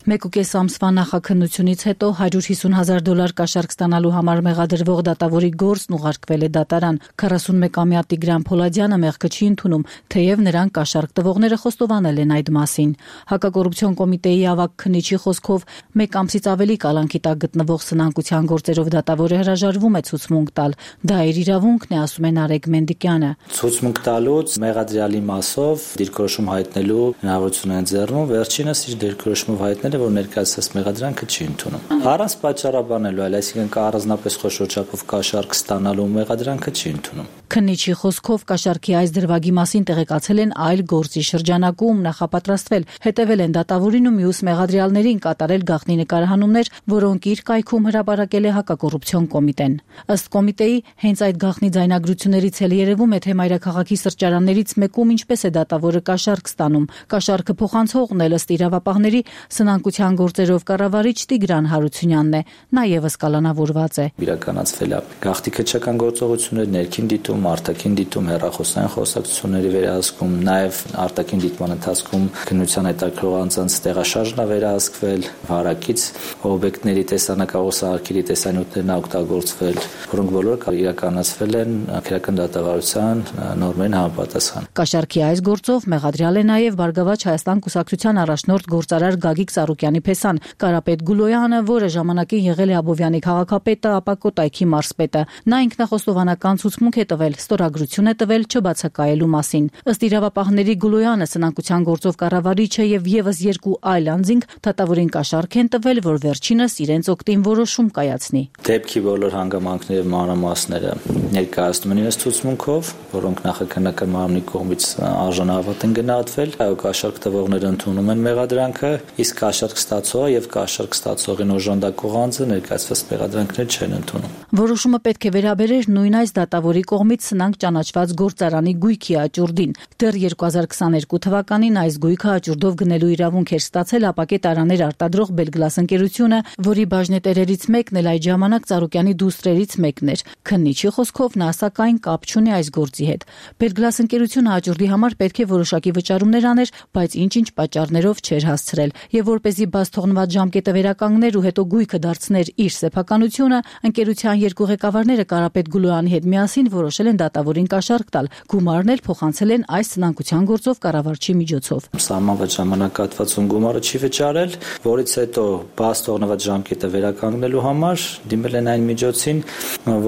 Մեկ ու կես ամսվա նախաքննությունից հետո հարյուր հիսուն հազար դոլար կաշառք ստանալու համար մեղադրվող դատավորի գործն ուղարկվել է դատարան։ քառասունմեկամյա Տիգրան Փոլադյանը մեղքը չի ընդունում, թեև նրան կաշառք տվողները խոստովանել են այդ մասին։ Հակակոռուպցիոն կոմիտեի ավագ քննիչի խոսքով մեկ ամսից ավելի կալանքի տակ գտնվող սնանկության գործերով դատավորը հրաժարվում է ցուցմունք տալ։ Դա իր իրավունքն է, ասում է Նարեկ Մենդիկյանը։ Ցուցմունք տալուց մեղադրյալի մասով դիրքորոշում հայտնելու հնարավորություն են ձեռնում, վերջինս իր դիրքորոշումով հայտնել որ ներկայացած մեղադրանքը չի ընդունում։ Առանց պատճառաբանելու, այլ այսինքն կա առանձնապես խոշոր չափով կաշառք ստանալու մեղադրանքը չի ընդունում։ Քննիչի խոսքով կաշառքի այս դրվագի մասին տեղեկացել են այլ գործի շրջանակում, նախապատրաստվել, հետևել են դատավորին ու մյուս մեղադրյալներին, կատարել գաղտնի նկարահանումներ, որոնք իր կայքում հրապարակել է հակակոռուպցիոն կոմիտեն։ Ըստ կոմիտեի, հենց այդ գաղտնի ձայնագրություններից էլ երևում է, թե մայրաքաղաքի սրճարաններից մեկում ինչպես է դատավորը կաշառք ստանում։ Կաշառքը փոխանցողն էլ ըստ իրավապահների սնանկության գործերով կառավարիչ Տիգրան Հարությունյանն է, նա եւս կալանավորված է։ Իրականացվել է գաղտնի քչական գործողություններ, ներքին դիտում, արտաքին դիտում, հեռախոսային խոսակցությունների վերահսկում, նաեւ արտաքին դիտման ընթացքում քննության հետաքրող անձանց տեղաշարժն է վերահսկվել, վարակից օբյեկտների տեսանակավոր սարքերի տեսանյութերն օգտագործվել, որոնք բոլորը իրականացվել են քրեական դատավարության նորմերին համապատասխան։ Կաշառքի այս գործով մեղադրյալ է նաեւ Բարգավաճ Հայաստան կուսակցության առաջնորդ գործարար Գագիկ Ծառուկյանի փեսան։ Կարապետ Գուլոյանը, որը ժամանակին եղել է Աբովյանի քաղաքապետը, ապա Կոտայքի մարզպետը, նա ինքնախոստովանական ցուցմունք է տվել, ստորագրություն է տվել չբացակայելու մասին։ Ըստ իրավապահների Գուլոյանը սնանկության գործով կառավարիչը եւ եւս երկու այլ անձինք դատավորին կաշառք են տվել, որ վերջինս իրենց օգտին որոշում կայացնի։ Դեպքի բոլոր հանգամանքները եւ մանրամասները ներկայացնում են իրենց ցուցմունքով, որոնք նախաքննական մարմնի կողմից արժանավատ են գնահատվել, այո, կաշառք տվողները ընդունում են մեղադրանքը, իսկ կաշառք ստացողը եւ կաշառք ստացողին օժանդակող անձը ներկայացված մեղադրանքներ չեն ընդունում։ Որոշումը պետք է վերաբերեր նույն այս դատավորի կողմից սնանկ ճանաչված գործարանի գույքի աճուրդին։ Դեռ երկու հազար քսաներկու թվականին այս գույքը աճուրդով գնելու իրավունք էր ստացել ապակե տարաներ արտադրող Belglass ընկերությունը, որի բաժնետերերից մեկն էլ այդ ժամանակ Ծառուկյանի դուստրերից մեկն էր։ Քննիչի խոսքով նա սակայն կապ չունի այս գործի հետ։ Belglass ընկերությունը աճուրդի համար պետք է որոշակի վճարումներ աներ, բայց ինչ-ինչ պատճառներով չէր հասցրել, եւ որպեսզի բաց թողնված ժամկետը վերականգներ ու հետո գույքը դարձներ իր սեփականությունը, ընկերության երկու ղեկավարները Կարապետ Գուլոյանի հետ միասին որոշել են դատավորին կաշառք տալ։ Գումարն էլ փոխանցել են այս սնանկության գործով կառավարչի միջոցով։ Սահմանված ժամանակահատվածում գումարը չի վճարել, որից հետո բաց թողնված ժամկետը վերականգնելու համար դիմել են այն միջոցին,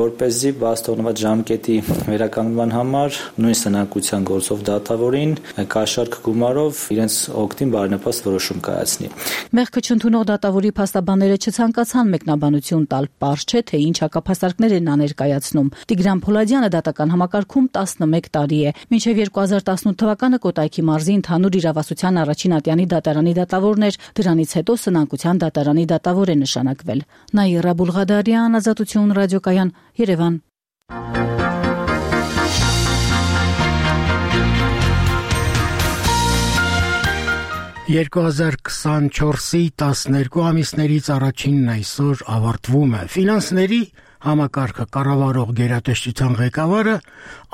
որպեսզի բաց թողնված ժամկետի վերականգնման համար նույն սնանկության գործով դատավորին կաշառք գումարով իրենց օգտին բարենպաստ որոշում կայացնի։ Մեղքը չընդունող դատավորի փաստաբանները չցանկացան մեկնաբանություն տալ, պարզ չէ թե ինչ հակափաստարկներ են նա ներկայացնում։ Տիգրան Փոլադյանը դատական համակարգում տասնմեկ տարի է։ Մինչև երկու հազար տասնութ թվականը Կոտայքի մարզի ընդհանուր իրավասության առաջին ատյանի դատարանի դատավորն էր, դրանից հետո սնանկության դատարանի դատավոր է նշանակվել։ Նաիրա Բուլղադարյան, Ազատություն ռադիոկայան, Երևան։ երկու հազար քսանչորսի տասներկու ամիսներից առաջինն այսօր ավարտվում է։ Ֆինանսների համակարգը կառավարող գերատեսչության ղեկավարը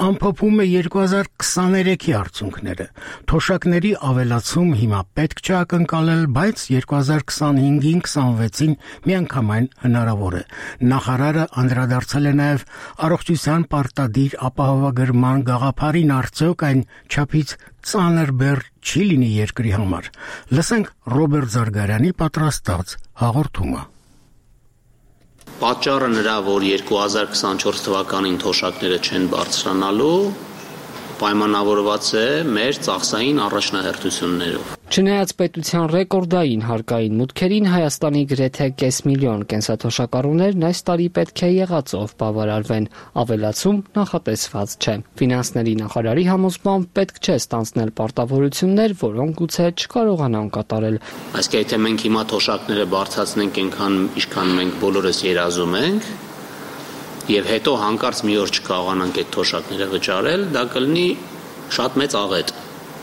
ամփոփում է երկու հազար քսաներեքի արդյունքները։ Թոշակների ավելացում հիմա պետք չէ ակնկալել, բայց երկու հազար քսանհինգին քսանվեցին միանգամայն հնարավոր է։ Նախարարը անդրադարձել է նաև առողջության պարտադիր ապահովագրման գաղափարին, արդյոք այն չափից ծանր բեռ չի լինի երկրի համար։ Լսենք Ռոբերտ Զարգարյանի պատրաստած հաղորդումը։ Պատճառը նրա, որ երկու հազար քսանչորս թվականին թոշակները չեն բարձրանալու, պայմանավորված է մեր ծախսային առաջնահերթություններով։ Չնայած պետության ռեկորդային հարկային մուտքերին, Հայաստանի գրեթե կես միլիոն կենսաթոշակառուներն այս տարի պետք է եղածով բավարարվեն, ավելացում նախատեսված չէ։ Ֆինանսների նախարարի համոզմամբ պետք չէ ստանձնել պարտավորություններ, որոնք գուցե չկարողանան կատարել։ Այսինքն, եթե մենք հիմա թոշակները բարձրացնենք այնքան, ինչքան մենք բոլորս երազում ենք, եւ հետո հանկարծ մի օր չկարողանանք այդ թոշակները վճարել, դա կլինի շատ մեծ աղետ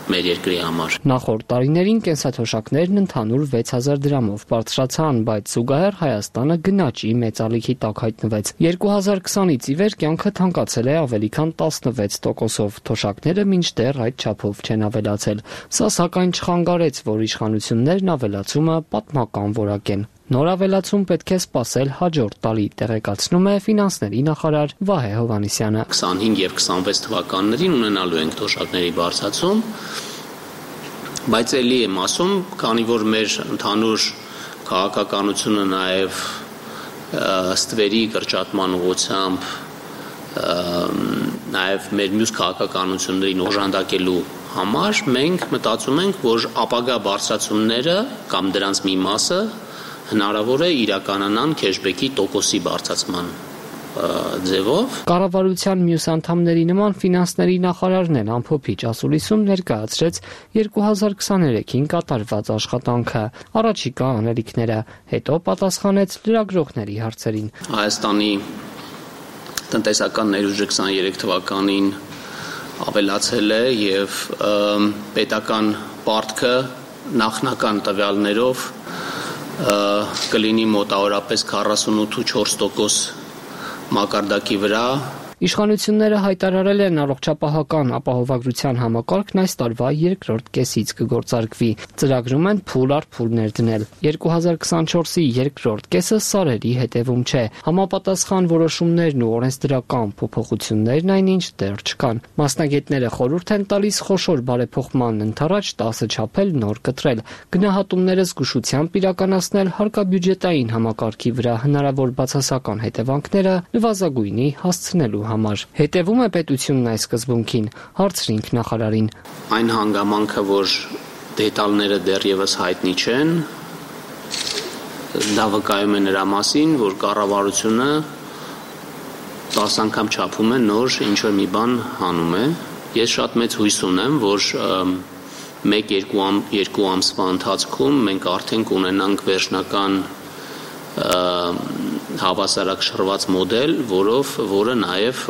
մեր երկրի համար։ Նախորդ տարիներին կենսաթոշակներն ընդհանուր վեց հազար դրամով բարձրացան, բայց զուգահեռ Հայաստանը գնաճի մեծալիքի տակ հայտնվեց։ երկու հազար քսանից ի վեր կյանքը թանկացել է ավելի քան տասնվեց տոկոսով, թոշակները մինչդեռ այդ չափով չեն ավելացել։ Սա սակայն չխանգարեց, որ իշխանություններն ավելացումը պատմական որակեն։ Նոր ավելացում պետք է սպասել հաջորդ տարի, տեղեկացնում է ֆինանսների նախարար Վահե Հովհաննիսյանը։ քսանհինգ եւ քսանվեց թվականներին ունենալու ենք թոշակների բարձրացում, բայց ելի եմ ասում, քանի որ մեր ընդհանուր քաղաքականությունը նաեւ ստվերի կրճատման ուղղությամբ, նաեւ մեր մյուս քաղաքականություններին օժանդակելու համար մենք մտածում ենք, որ ապագա բարձրացումները կամ դրանց մի մասը հնարավոր է իրականանան քեշբեքի տոկոսի բարձրացման ձևով։ Կառավարության մյուս անդամների նման ֆինանսների նախարարն էլ ամփոփիչ ասուլիսում ներկայացրեց երկու հազար քսաներեքին կատարված աշխատանքը, առաջիկա անելիքները, հետո պատասխանեց լրագրողների հարցերին։ Հայաստանի տնտեսական ներուժը քսաներեք թվականին ավելացել է եւ պետական պարտքը նախնական տվյալներով կլինի մոտավորապես քառասունութ ու չորս տոկոս մակարդակի վրա։ Իշխանությունները հայտարարել են առողջապահական ապահովագրության համակարգն այս տարվա երկրորդ կեսից կգործարկվի։ Ծրագրում են փուլ առ փուլ ներդնել։ երկու հազար քսանչորսի երկրորդ կեսը սարերի հետևում չէ։ Համապատասխան որոշումներն ու օրենսդրական փոփոխություններն այնինչ դեռ չկան։ Մասնագետները խորհուրդ են տալիս խոշոր բարեփոխման ընդառաջ տասը չափել նոր կտրել, գնահատումները զգուշությամբ իրականացնել հարկաբյուջետային համակարգի վրա հնարավոր բացասական հետևանքները նվազագույնի հասցնելու համար։ Հետևում է պետությունն այս սկզբունքին, հարցրինք նախարարին։ Այն հանգամանքը, որ դետալները դեռևս հայտնի չեն, դա վկայում է նրա մասին, որ կառավարությունը տասը անգամ չափում է նոր ինչ-որ մի բան հանում է։ Ես շատ մեծ հույս ունեմ, որ մեկ-երկու ամ, երկու ամսվա ընթացքում մենք արդեն կունենանք վերջնական հավասարակշռված մոդել, որով որը նաև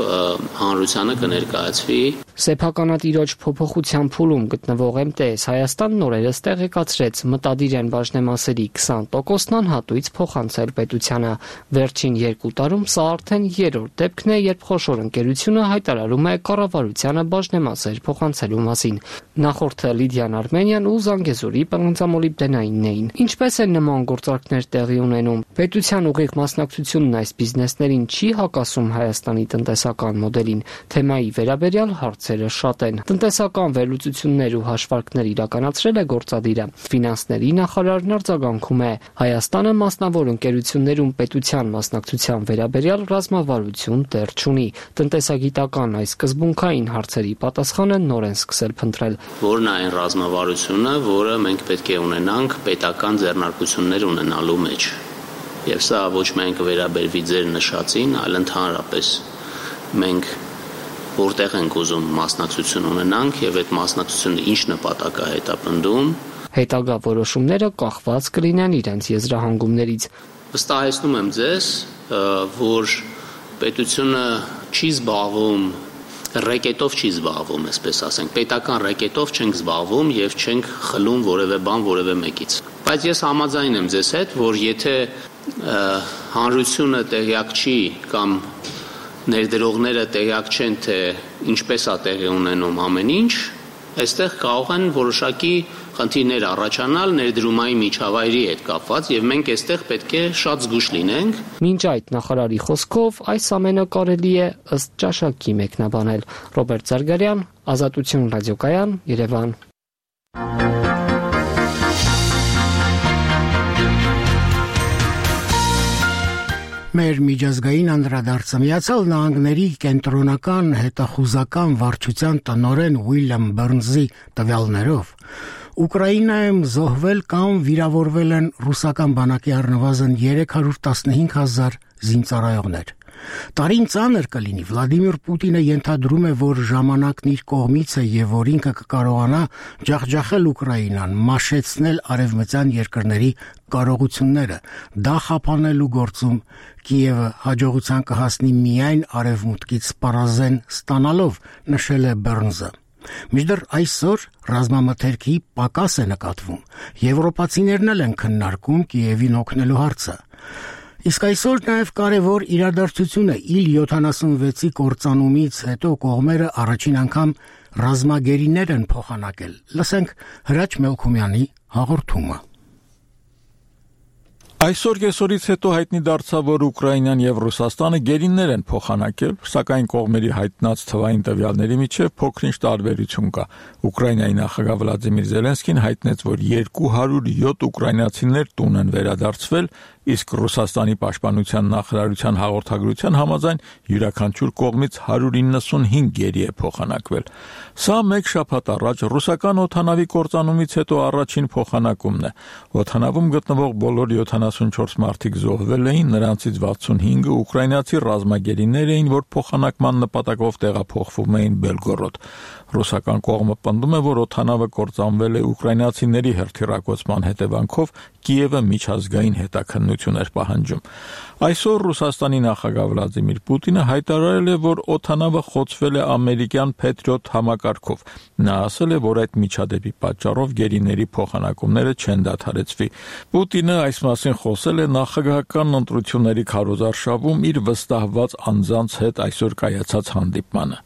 հանրությանը կներկայացվի։ Սեփականատիրոջ փոփոխության փուլում գտնվող էմ տե էս Հայաստանն օրերս տեղեկացրեց մտադիր են բաժնեմասերի քսան տոկոսն անհատույց փոխանցել պետությանը։ Վերջին երկու տարում սա արդեն երրորդ դեպքն է, երբ խոշոր ընկերությունը հայտարարում է կառավարությանը բաժնեմասեր փոխանցելու մասին։ Նախորդը Լիդիան Արմենիան ու Զանգեզուրի պղնձամոլիբդենայինն էին։ Ինչպես են նման գործարքներ տեղի ունենում։ Պետության ուղիղ մասնակցությունն այս բիզնեսներին չի հակասում Հայաստանի տնտեսական մոդելին։ Թեմայի վերաբերյալ հարցերը շատ են։ Տնտեսական վերլուծություններ ու հաշվարկներ իրականացրել է գործադիրը։ Ֆինանսների նախարարն արձագանքում է. Հայաստանը մասնավոր ընկերություններում պետության մասնակցության վերաբերյալ ռազմավարություն դեռ չունի։ Տնտեսագիտական այս սկզբունքային հարցերի պատասխանը նոր են սկսել փնտրել։ Որն է այն ռազմավարությունը, որը մենք պետք է ունենանք պետական ձեռնարկություններ ունենալու մեջ։ Եվ սա ոչ միայն կվերաբերվի ձեր նշածին, այլ ընդհանրապես մենք որտեղ ենք ուզում մասնակցություն ունենանք եւ այդ մասնակցությունը ինչ նպատակ է հետապնդում։ Հետագա որոշումները կախված կլինեն իրենց եզրահանգումներից։ Վստահեցնում եմ ձեզ, որ պետությունը չի զբաղվում ռեկետով չի զբաղվում, այսպես ասենք, պետական ռեկետով չենք զբաղվում եւ չենք խլում որևէ բան որևէ մեկից։ Բայց ես համաձայն եմ ձեզ հետ, որ եթե հանրությունը տեղյակ չի կամ ներդրողները տեղյակ չեն, թե ինչպես է տեղի ունենում ամեն ինչ, այստեղ կարող են որոշակի խնդիրներ առաջանալ ներդրումային միջավայրի հետ կապված եւ մենք այստեղ պետք է շատ զգուշ լինենք։ Մինչ այդ նախարարի խոսքով այս ամենը կարելի է ըստ ճաշակի մեկնաբանել։ Ռոբերտ Զարգարյան, Ազատություն ռադիոկայան, Երևան։ Մեր միջազգային անդրադարձը Միացյալ Նահանգների կենտրոնական հետախուզական վարչության տնօրեն Ուիլյամ Բըրնզի տվյալներով Ուկրաինայում զոհվել կամ վիրավորվել են ռուսական բանակի առնվազն երեք հարյուր տասնհինգ հազար զինծառայողներ։ Տարին ծանր կլինի, Վլադիմիր Պուտինը ենթադրում է, որ ժամանակն իր կողմից է եւ որ ինքը կկարողանա ջախջախել Ուկրաինան, մաշեցնել արևմտյան երկրների կարողությունները, դա խափանելու գործում Կիևը հաջողության կհասնի միայն արևմուտքից պարազեն ստանալով, նշել է Բըրնզը։ Մինչդեռ այսօր ռազմամթերքի պակաս է նկատվում։ Եվրոպացիներն էլ են քննարկում Կիևին օգնելու հարցը։ Իսկ այսօր նաև կարևոր իրադարձություն է իլ յոթանասունվեցի կործանումից հետո կողմերը առաջին անգամ ռազմագերիներ են փոխանակել։ Լսենք Հրաչ Մելքումյանի հաղորդումը։ Այսօր կեսօրից հետո հայտնի դարձավ, որ Ուկրաինան եւ Ռուսաստանը գերիներ են փոխանակել, սակայն կողմերի հայտնած թվային տվյալների միջև փոքրինչ տարբերություն կա։ Ուկրաինայի նախագահ Վլադիմիր Զելենսկին հայտնեց, որ երկու հարյուր յոթ ուկրաինացիներ տուն են վերադարձվել, իսկ Ռուսաստանի պաշտպանության նախարարության հաղորդագրության համաձայն յուրաքանչյուր կողմից հարյուր իննսունհինգ գերի է փոխանակվել։ Սա մեկ շաբաթ առաջ ռուսական օդանավի կործանումից հետո առաջին փոխանակումն է։ Օդանավում գտնվող բոլոր յոթանասունչորս մարդիկ զոհվել էին, նրանցից վաթսունհինգը ուկրաինացի ռազմագերիներ էին, որ փոխանակման նպատակով տեղափոխվում էին Բելգորոդ։ Ռուսական կողմը պնդում է, որ օդանավը կործանվել է ուկրաինացիների հերթիռակոծման հետևանքով Կիևը միջազգային հետաքննության օգնություն էր պահանջում։ Այսօր Ռուսաստանի նախագահ Վլադիմիր Պուտինը հայտարարել է, որ օդանավը խոցվել է ամերիկյան Patriot համակարգով։ Նա ասել է, որ այդ միջադեպի պատճառով գերիների փոխանակումները չեն դադարեցվի։ Պուտինը այս մասին խոսել է նախագահական ընտրությունների քարոզարշավում իր վստահված անձանց հետ այսօր կայացած հանդիպմանը։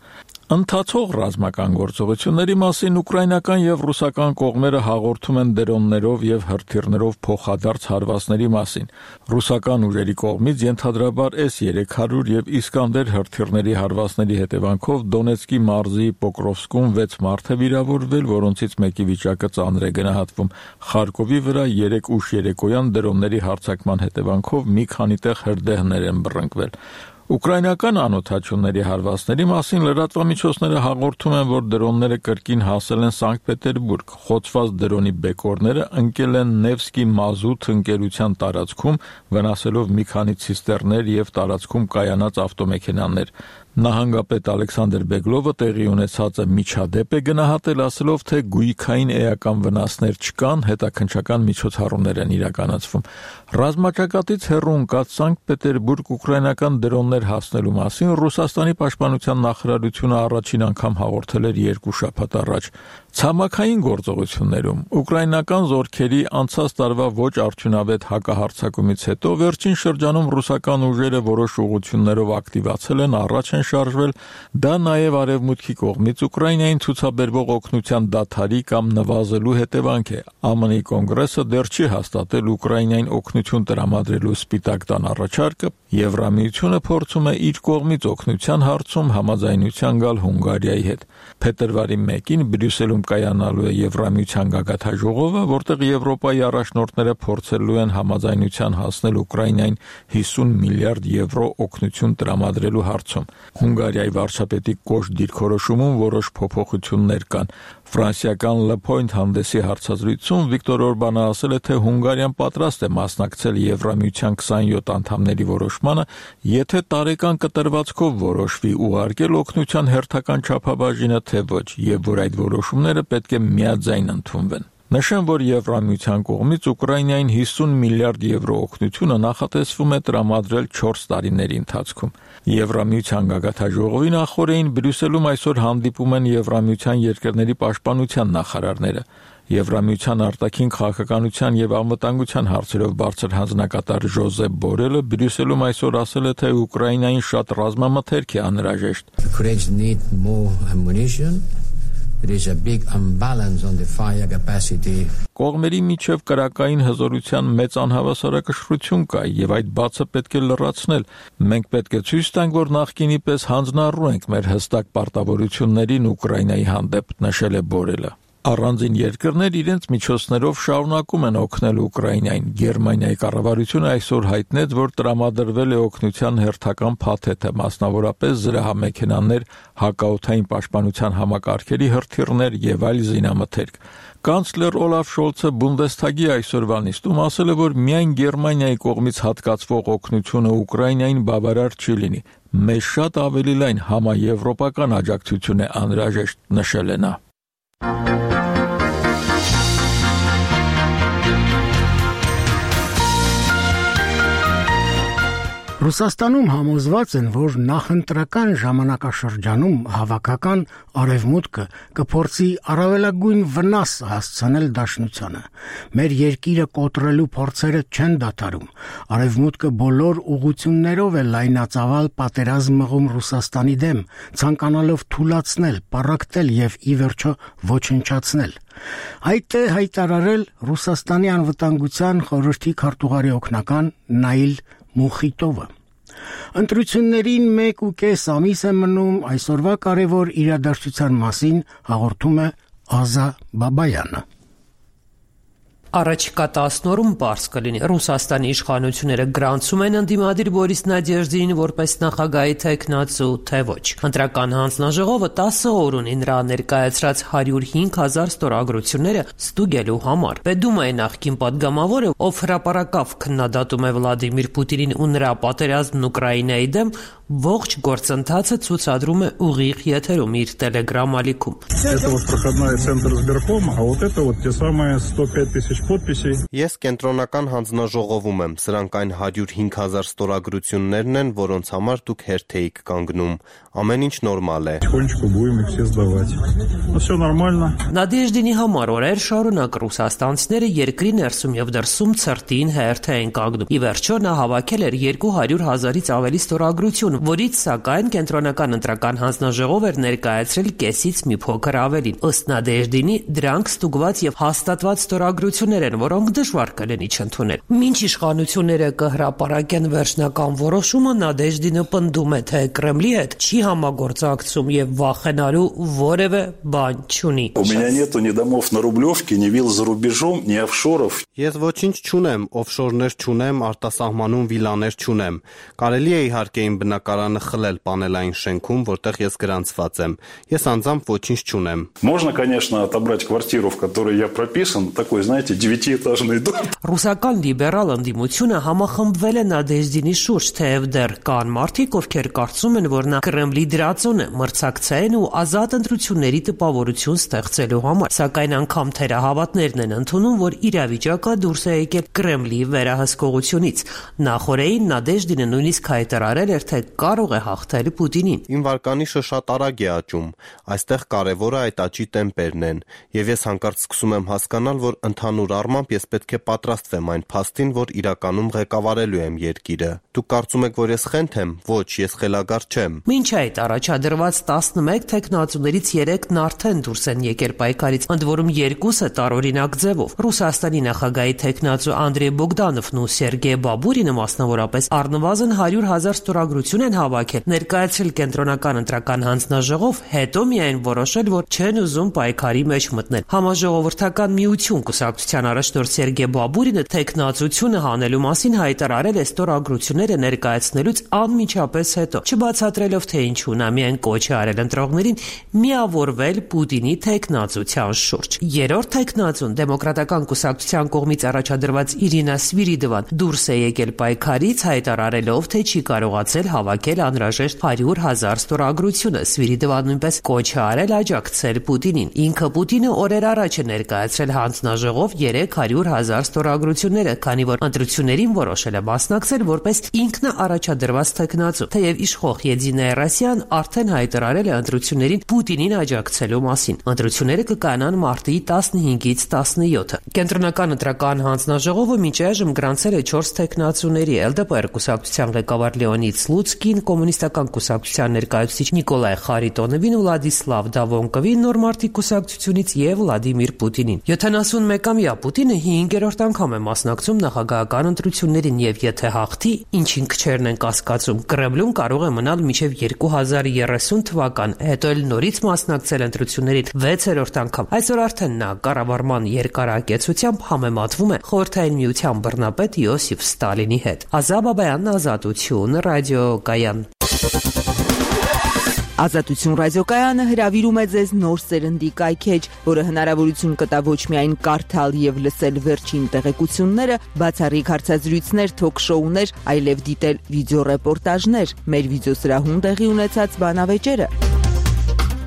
Ընթացող ռազմական գործողությունների մասին ուկրաինական եւ ռուսական կողմերը հաղորդում են դրոններով եւ հրթիռներով փոխադարձ հարվածների մասին։ Ռուսական ուժերի կողմից ենթադրաբար S երեք հարյուր եւ Իսկանդեր հրթիռների հարվածների հետևանքով Դոնեցկի մարզի Պոկրովսկում վեց մարդ է վիրավորվել, որոնցից մեկի վիճակը ծանր է գնահատվում։ Խարկովի վրա երեք ուշ երեկոյան դրոնների հարձակման հետևանքով մի քանի տեղ հրդեհներ են բռնկվել։ Ուկրաինական անօթաչուների հարվածների մասին լրատվամիջոցները հաղորդում են, որ դրոնները կրկին հասել են Սանկտ Պետերբուրգ։ Խոցված դրոնի բեկորները ընկել են Նևսկի մազութ ընկերության տարածքում, վնասելով մի քանի ցիստերներ եւ տարածքում կայանած ավտոմեքենաներ։ Նահանգապետ Ալեքսանդր Բեգլովը տեղի ունեցածը միջադեպ է գնահատել, ասելով, թե գույքային էական վնասներ չկան, հետաքննչական միջոցառումներ են իրականացվում։ Ռազմաճակատից հեռու ընկած Սանկտ Պետերբուրգ ուկրաինական դրոններ հասնելու մասին Ռուսաստանի պաշտպանության նախարարությունը առաջին անգամ հաղորդել էր երկու շաբաթ առաջ։ Ցամաքային գործողություններում ուկրաինական զորքերի անցած տարվա ոչ արդյունավետ հակահարձակումից հետո վերջին շրջանում ռուսական ուժերը որոշ ուղղություններով ակտիվացել են, առաջ են շարժվել, դա նաև արևմուտքի կողմից Ուկրաինային ցուցաբերվող օգնության դադարի կամ նվազելու հետևանք է։ ԱՄՆ-ի կոնգրեսը դեռ չի հաստատել Ուկրաինային օգնություն տրամադրելու Սպիտակ տան առաջարկը, Եվրամիությունը փորձում է իր կողմից օգնության հարցում համաձայնության գալ Հունգարիայի հետ։ Փետրվարի մեկին Բրյուսելում կայանալու է Եվրամիության գագաթաժողովը, որտեղ Եվրոպայի առաջնորդները փորձելու են համաձայնության հասնել Ուկրաինային հիսուն միլիարդ եվրո օգնություն տրամադրելու հարցում։ Հունգարիայի վարչապետի կոշտ դիրքորոշումում որոշ փոփոխություններ կան։ Ֆրանսիական Le Point հանդեսի հարցազրույցում Վիկտոր Օրբանը ասել է, թե Հունգարիան պատրաստ է մասնակցել Եվրամիության քսանյոթ անդամների որոշմանը, եթե տարեկան կտրվածքով որոշվի ուղարկել օգնության հերթական չափաբաժինը, թե ոչ, եւ որ այդ որոշումները պետք է միաձայն ընդունվեն։ Նշեմ, որ Եվրամիության կողմից Ուկրաինային հիսուն միլիարդ եվրո օգնությունը նախատեսվում է տրամադրել չորս տարիների ընթացքում։ Եվրամիության գագաթաժողովի նախօրեին Բրյուսելում այսօր հանդիպում են Եվրամիության երկրների պաշտպանության նախարարները։ Եվրամիության արտաքին քաղաքականության եւ անվտանգության հարցերով բարձր հանձնակատար Ժոզեփ Բորելը Բրյուսելում այսօր ասել է, թե Ուկրաինային շատ ռազմամթերք է անհրաժեշտ։ There is a big imbalance on the fire capacity. Կողմերի միջև կրակային հզորության մեծ անհավասարակշռություն կա եւ այդ բացը պետք է լրացնել։ Մենք պետք է ցույց տանք, որ նախկինի պես հանձնառու ենք մեր հստակ պարտավորություններին Ուկրաինայի հանդեպ, նշել է Բորելը։ Առանձին երկրներ իրենց միջոցներով շարունակում են օգնել Ուկրաինային։ Գերմանիայի կառավարությունը այսօր հայտնեց, որ տրամադրվել է օգնության հերթական փաթեթը, մասնավորապես զրահամեքենաներ, հակաօդային պաշտպանության համակարգերի հրթիռներ եւ այլ զինամթերք։ Կանցլեր Օլաֆ Շոլցը Բունդեսթագի այսօրվա նիստում ասել է, որ միայն Գերմանիայի կողմից հատկացվող օգնությունը Ուկրաինային բավարար չի լինի։ Մեզ շատ ավելի լայն համաեվրոպական աջակցություն է անհրաժեշտ, նշել է նա։ Ռուսաստանում համոզված են, որ նախընտրական ժամանակաշրջանում հավաքական արևմուտքը կփորձի առավելագույն վնաս հասցնել դաշնությանը։ Մեր երկիրը կոտրելու փորձերը չեն դադարում։ Արևմուտքը բոլոր ուղղություններով է լայնածավալ պատերազմ մղում Ռուսաստանի դեմ, ցանկանալով թուլացնել, պառակտել եւ ի վերջո ոչնչացնել։ Այդ է հայտարարել Ռուսաստանի անվտանգության խորհրդի քարտուղարի օգնական Նաիլ Մուխիտովը։ Ընտրություններին մեկ ու կես ամիս է մնում, այսօրվա կարևոր իրադարձության մասին հաղորդում է Ազա Բաբայանը։ Առաջիկա տասն օրում պարզ կլինի Ռուսաստանի իշխանությունները գրանցում են ընդդիմադիր Բորիս Նադեժդին որպես նախագահի թեկնածու, թե ոչ։ Ընտրական հանձնաժողովը տասը օր ունի նրա ներկայացրած հարյուր հինգ հազար ստորագրությունները ստուգելու համար։ Պետդումայի նախկին պատգամավորը, ով հրապարակավ քննադատում է Վլադիմիր Պուտինին ու նրա պատերազմն Ուկրաինայի դեմ, Ողջ գործընթացը ցուցադրում է ուղիղ եթերում իր Telegram ալիքում։ Ես կենտրոնական հանձնաժողովում եմ, սրանք այն հարյուր հինգ հազար ստորագրություններն են, որոնց համար դուք հերթ էիք կանգնում։ Ամեն ինչ նորմալ է։ Նադեժդինի համար օրեր շարունակ ռուսաստանցիները երկրի ներսում եւ դրսում ցրտին հերթ էին կանգնում։ Ի վերջո նա հավաքել էր երկու հարյուր հազարից ավելի ստորագրություն, որից սակայն կենտրոնական ընտրական հանձնաժողով էր ներկայացրել կեսից մի փոքր ավելին։ Ըստ Նադեժդինի, դրանք ստուգված եւ հաստատված ստորագրություններ են, որոնք դժվար կլինի չընդունել։ Մինչ իշխանությունները կհրապարակեն վերջնական որոշումը, Նադեժդինը պնդում է, թե Կրեմլի հետ չի համագործակցում եւ վախենալու որևէ բան չունի։ Ես ոչինչ չունեմ, օֆշորներ չունեմ, արտասահմանում վիլաներ չունեմ։ Կարելի է իհարկե իմ բնակարանը խլել պանելային շենքում, որտեղ ես գրանցված եմ։ Ես անձամբ ոչինչ չունեմ։ Можно, конечно, отобрать квартиру, в которой я прописан, такой, знаете, девятиэтажный дом. Ռուսական լիբերալ ընդդիմությունը համախմբվել է Նադեժդինի շուրջ, թեև դեռ կան մարդիկ, ովքեր կարծում են, որ նա Կրեմլի դրածոն է, մրցակցային ու ազատ ընտրությունների տպավորություն ստեղծելու համար։ Սակայն անգամ թերահավատներն են ընդունում, որ իրավիճակը դուրս է եկել Կրեմլի վերահսկողությունից։ Նախորդին Նադեժդինը նույնիսկ հայտարարել էր, թե կարող է հաղթել Պուտինին։ Իմ վարկանիշը շատ արագ է աճում։ Այստեղ կարևորը այդ աճի տեմպերն են, եւ ես հանկարծ սկսում եմ հասկանալ, որ ընդհանուր առմամբ ես պետք է պատրաստվեմ այն փաստին, որ իրականում ղեկավարելու եմ երկիրը։ Դուք կարծում եք, որ ես խենթ եմ։ Ոչ, ես խելագար չեմ։ Մինչ այդ առաջադրված տասնմեկ թեկնածուներից երեքն արդեն դուրս են եկել պայքարից, ընդ որում երկուսը տարօրինակ ձևով։ Ռուսաստանի նախագահի թեկնածու Անդրեյ Բոգդանովն ու Սերգեյ Բաբուրինը մասնավորապես առնվազն հարյուր հազար ստորագրություն են հավաքել, ներկայացրել կենտրոնական ընտրական հանձնաժողով, հետո միայն որոշել, որ չեն ուզում պայքարի մեջ մտնել։ Համաժողովրդական միություն կուսակցության առաջնորդ Սերգեյ Բաբուրինը թեկնածությունը հանելու մասին հայտարարել է ստորագրությունները ներկայացնելուց անմիջապես հետո, չբացատրելով թե ինչու նա միայն կոչ է արել ընտրողներին միավորվել Պուտինի թեկնածության շուրջ։ Երրորդ թեկնածուն դեմոկրատական կուսակցության կողմից առաջադրված Իրինա Սվիրիդովան դուրս է եկել պայքարից, հայտարարելով, թե չի կարողացել հավաքել անհրաժեշտ հարյուր հազար ստորագրությունը։ Սվիրիդովան նույնպես կոչ է արել աջակցել Պուտինին։ Ինքը Պուտինը օրեր առաջ է ներկայացրել հանձնաժողով երեք հարյուր հազար ստորագրությունները, քանի որ ընտրություններին որոշել է մասնակցել որպես ինքնաառաջադրված թեկնածու։ Թեև իշխող Եդինայա Ռոսիան արդեն հայտարարել է ընտրություններին Պուտինին աջակցելու մասին։ Ընտրությունները կկայանան մարտի տասնհինգից տասնյոթը։ Կենտրոնական ընտրական հանձնաժողովը մինչ այժմ գրանցել է չորս թեկնածուների՝ Էլ Դե Պե կուսակցության ղեկավար Լեոնիդ Սլուցկին, կոմունիստական կուսակցության ներկայացուցիչ Նիկոլայ Խարիտոնովին, Վլադիսլավ Դավոնկովին նոր մարտի կուսակցությունից եւ Վլադիմիր Պուտինին։ յոթանասունմեկամյա Պուտինը հինգերորդ անգամ է մասնակցում նախագահական ընտրություններին եւ եթե հաղթի, ինչին քչերն են կասկածում, Կրեմլում կարող է մնալ մինչեւ երկու հազար երեսուն թվական, հետո էլ նորից մասնակցել ընտրություններին վեցերորդ անգամ։ Այսօր արդեն նա կառավարման երկարակեցությամբ համեմատվում է Խորհրդային Միության բռնապետ Յոսիֆ Ստալինի հետ։ Ազատ Բաբայան, Ազատություն, ռադիոկայան։ Ազատություն ռադիոկայանը հրավիրում է ձեզ նոր սերնդի կայքեջ, որը հնարավորություն կտա ոչ միայն կարդալ եւ լսել վերջին տեղեկությունները, բացառիկ հարցազրույցներ, թոք-շոուներ, այլև դիտել վիդեոռեպորտաժներ, մեր վիդեոսրահում տեղի ունեցած բանավեճերը,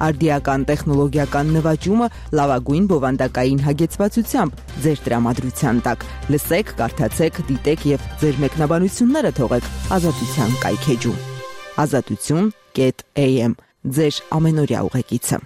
արդիական տեխնոլոգիական նվաճումը լավագույն բովանդակային հագեցվածությամբ ձեր տրամադրության տակ։ Լսեք, կարդացեք, դիտեք եւ ձեր մեկնաբանությունները թողեք Ազատության կայքեջում։ Ազատություն am ձեր ամենօրյա ուղեկիցը։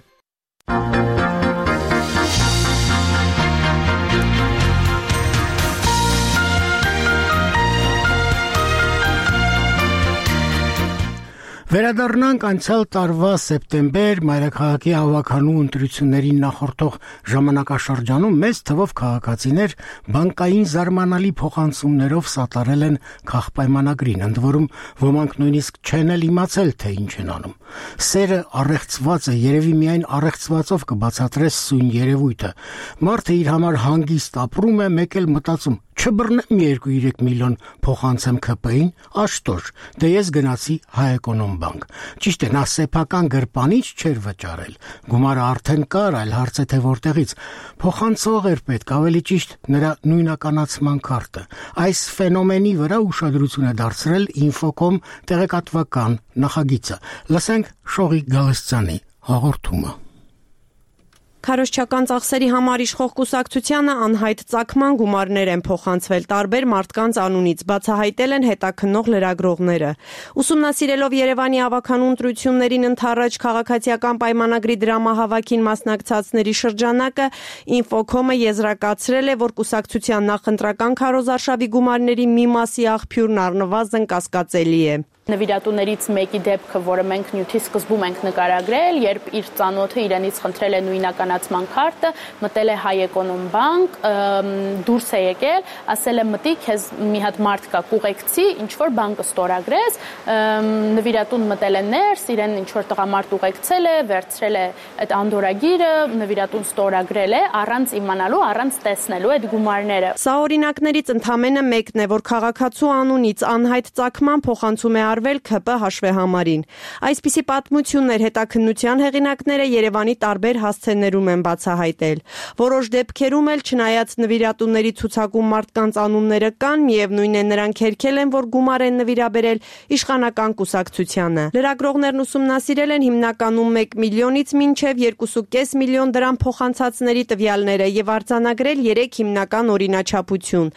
Վերադառնանք անցյալ տարվա սեպտեմբեր մայրաքաղաքի հավաքանու ընտրություններին նախորդող ժամանակաշրջանում մեծ թվով քաղաքացիներ բանկային զարմանալի փոխանցումներով սատարել են քաղաքպայմանագրին, ընդ որում ոմանք նույնիսկ չեն էլ իմացել, թե ինչ են անում։ Սերը առեղծված է, երևի միայն առեղծվածով կբացատրես սույն երևույթը։ Մարդը իր համար հանգիստ ապրում է, մեկ էլ մտածում, չբռնեմ երկու երեք միլիոն փոխանցեմ K P-ին, աշտոր, դե ես գնացի Հայ Էկոնոմ բանկ։ Ճիշտ է, նա սեփական գրպանիչ չէր վճարել։ Գումարը արդեն կար, այլ հարց է թե որտեղից։ Փոխանցող էր պետք, ավելի ճիշտ նրա նույնականացման քարտը։ Այս ֆենոմենի վրա ուշադրություն է դարձրել Infocom տեղեկատվական նախագիծը։ Լսենք Շողիկ Գալստյանի հաղորդումը։ Քարոզչական ծախսերի համար իշխող կուսակցությանը անհայտ ծագման գումարներ են փոխանցվել տարբեր մարդկանց անունից, բացահայտել են հետաքննող լրագրողները։ Ուսումնասիրելով Երևանի ավականու ընտրություններին ընդառաջ քաղաքացիական պայմանագրի դրամահավաքին մասնակցածների շրջանակը Infocom-ը եզրակացրել է, որ կուսակցության նախընտրական քարոզարշավի գումարների մի մասի աղբյուրն առնվազն կասկածելի է։ Նվիրատուներից մեկի դեպքը, որը մենք նյութի սկզբում ենք նկարագրել, երբ իր ծանոթը իրենից խնդրել է նույնականացման քարտը, մտել է Հայեկոնում բանկ, դուրս է եկել, ասել է մտի, քեզ մի հատ մարդ կա, կուղեկցի, ինչ որ բանկը ստորագրես, նվիրատուն մտել է ներս, իրեն ինչ որ տղամարդ ուղեկցել է, վերցրել է այդ անդորագիրը, նվիրատուն ստորագրել է, առանց իմանալու, առանց տեսնելու այդ գումարները։ Սա օրինակներից ընդամենը մեկն է, որ քաղաքացու անունից անհայտ ծագման փոխանցում է արվել ՔՊ հաշվեհամարին։ Այսպիսի պատմություններ հետաքննության հեղինակները Երևանի տարբեր հասցեներում են բացահայտել։ Որոշ դեպքերում էլ չնայած նվիրատուների ցուցակում մարդկանց անունները կան, միևնույն է նրանք հերքել են, որ գումար են նվիրաբերել իշխանական կուսակցությանը։ Լրագրողներն ուսումնասիրել են հիմնականում մեկ միլիոնից մինչև երկու կόμμα պենս միլիոն դրամ փոխանցածների տվյալները եւ արձանագրել երեք հիմնական օրինաչափություն։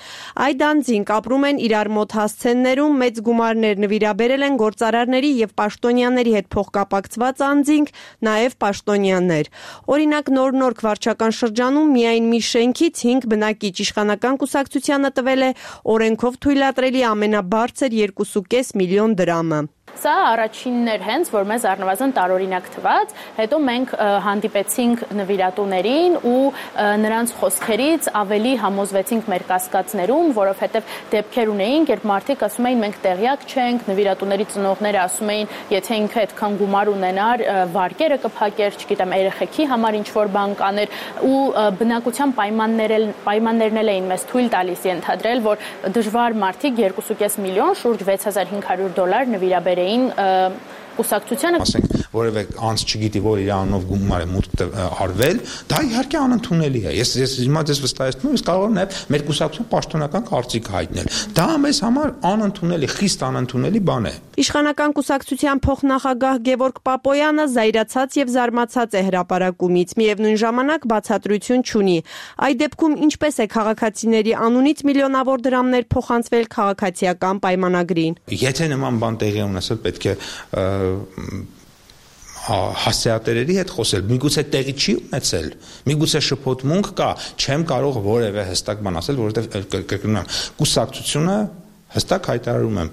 Այդ անձինք ապրում են իրար մոտ հասցեներում, մեծ գումարներ նվիրաբերել բերել են գործարարների եւ պաշտոնյաների հետ փոխկապակցված անձինք, նաեւ պաշտոնյաներ։ Օրինակ նոր-նոր վարչական շրջանում միայն մի շենքից հինգ բնակիչ իշխանական կուսակցությանը տվել է օրենքով թույլատրելի ամենաբարձր երկու կόμma պենս միլիոն դրամը։ Սա առաջինն էր հենց, որ մեզ առնվազն տարօրինակ թվաց, հետո մենք հանդիպեցինք նվիրատուներին ու նրանց խոսքերից ավելի համոզվեցինք մեր կասկածներում, որովհետև դեպքեր ունեինք, երբ մարդիկ ասում էին մենք տեղյակ չենք, նվիրատուների ծնողները ասում էին, եթե ինքը այդքան գումար ունենար, վարկերը կփակեր, չգիտեմ, երեխեքի համար ինչ որ բան կաներ ու բնակության պայմաններն էլ էին մեզ թույլ տալիս ենթադրել, որ դժվար մարդիկ երկու կόμma պենս միլիոն, շուրջ վեց հազար հինգ հարյուր դոլար նվիրաբերել կուսակցությանը, ասենք, որևէ անց չգիտի, որ իր անունով գումար է մուտք արվել, դա իհարկե անընդունելի է։ Ես ես հիմա ձեզ վստահեցնում եմ, ես կարող եմ նաև մեր կուսակցության պաշտոնական կարծիք հայտնել։ Դա մեզ համար անընդունելի, խիստ անընդունելի բան է։ Իշխանական կուսակցության փոխնախագահ Գևորգ Պապոյանը զայրացած եւ զարմացած է հրապարակումից, միևնույն ժամանակ բացատրություն չունի։ Այդ դեպքում ինչպես է քաղաքացիների անունից միլիոնավոր դրամներ փոխանցվել քաղաքացիական պայմանագրին։ Եթե նման բան տեղի ունեցել, պետք է հասցեատերերի հետ խոսել, միգուցե տեղի չի ունեցել, միգուցե շփոթմունք կա, չեմ կարող որևէ հստակ բան ասել, որովհետև կրկնում եմ, կուսակցությունը հստակ հայտարարում եմ,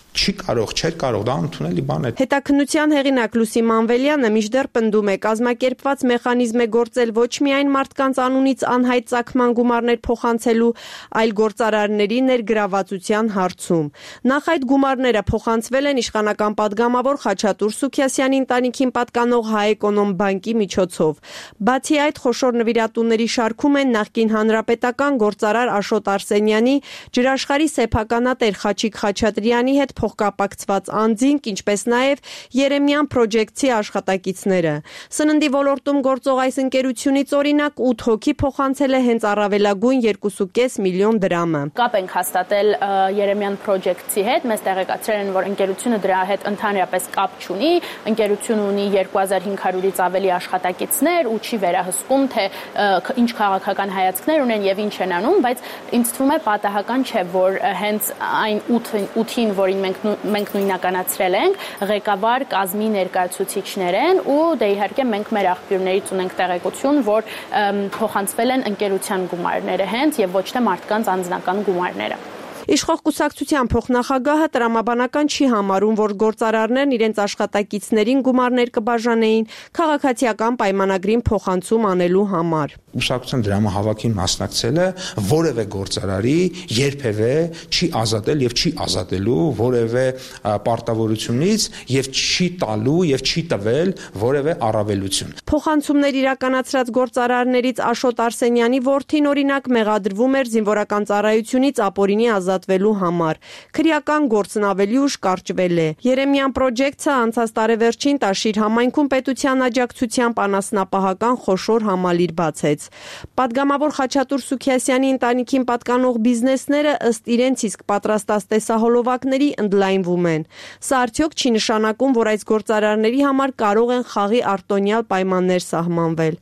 չի կարող, չէր կարող, դա ընդունելի բան է։ Հետաքննության հեղինակ Լուսի Մանվելյանը մինչդեռ պնդում է, կազմակերպված մեխանիզմ է գործել ոչ միայն մարդկանց անունից անհայտ ծագման գումարներ փոխանցելու, այլ գործարարների ներգրավվածության հարցում։ Նախ այդ գումարները փոխանցվել են իշխանական падգամավոր Խաչատուր Սուքիասյանի ընտանիքին պատկանող Հայեկոնում բանկի միջոցով։ Բացի այդ, խոշոր նվիրատուների շարքում են նախկին հանրապետական գործարար Աշոտ Արսենյանի, ջրաշխարհի սեփականատեր Խաչիկ Խաչատրյանի հետ փոխկապակցված անձինք, ինչպես նաև Երեմյան Project-ի աշխատակիցները։ Սննդի ոլորտում գործող այս ընկերությունից օրինակ ութ հոգի փոխանցել է հենց առավելագույն երկու կόμma պենս միլիոն դրամը։ Կապ ենք հաստատել Երեմյան Project-ի հետ, մեզ տեղեկացրել են, որ ընկերությունը դրա հետ ընդհանրապես կապ չունի, ընկերությունը ունի երկու հազար հինգ հարյուրից ավելի աշխատակիցներ ու չի վերահսկում, թե ինչ քաղաքական հայացքներ ունեն եւ ինչ են անում, բայց ինձ թվում է պատահական չէ, որ հենց այն ութին, որին մենք մենք նույնականացրել ենք, ղեկավար կազմի ներկայացուցիչներ են ու դե իհարկե մենք մեր աղբյուրներից ունենք տեղեկություն, որ փոխանցվել են ընկերության գումարները հենց եւ ոչ թե մարդկանց անձնական գումարները։ Իշխող կուսակցության փոխնախագահը տրամաբանական չի համարում, որ գործարարներն իրենց աշխատակիցներին գումարներ կբաժանեին քաղաքացիական պայմանագրին փոխանցում անելու համար։ Կուսակցության դրամահավաքին մասնակցելը որևէ գործարարի երբևէ չի ազատել եւ չի ազատելու որևէ պարտավորությունից եւ չի տալու եւ չի տվել որևէ առավելություն։ Փոխանցումներ իրականացրած գործարարներից Աշոտ Արսենյանի որդին օրինակ մեղադրվում էր զինվորական ծառայությունից ապօրինի ազատ ազատվելու համար։ Քրեական գործն ավելի ուշ կարճվել է։ Երեմյան Project-ը անցած տարեվերջին Տաշիր համայնքում պետության աջակցությամբ անասնապահական խոշոր համալիր բացեց։ Պատգամավոր Խաչատուր Սուքիասյանի ընտանիքին պատկանող բիզնեսները ըստ իրենց իսկ պատրաստած տեսահոլովակների ընդլայնվում են։ Սա արդյոք չի նշանակում, որ այս գործարարների համար կարող են խաղի արտոնյալ պայմաններ սահմանվել։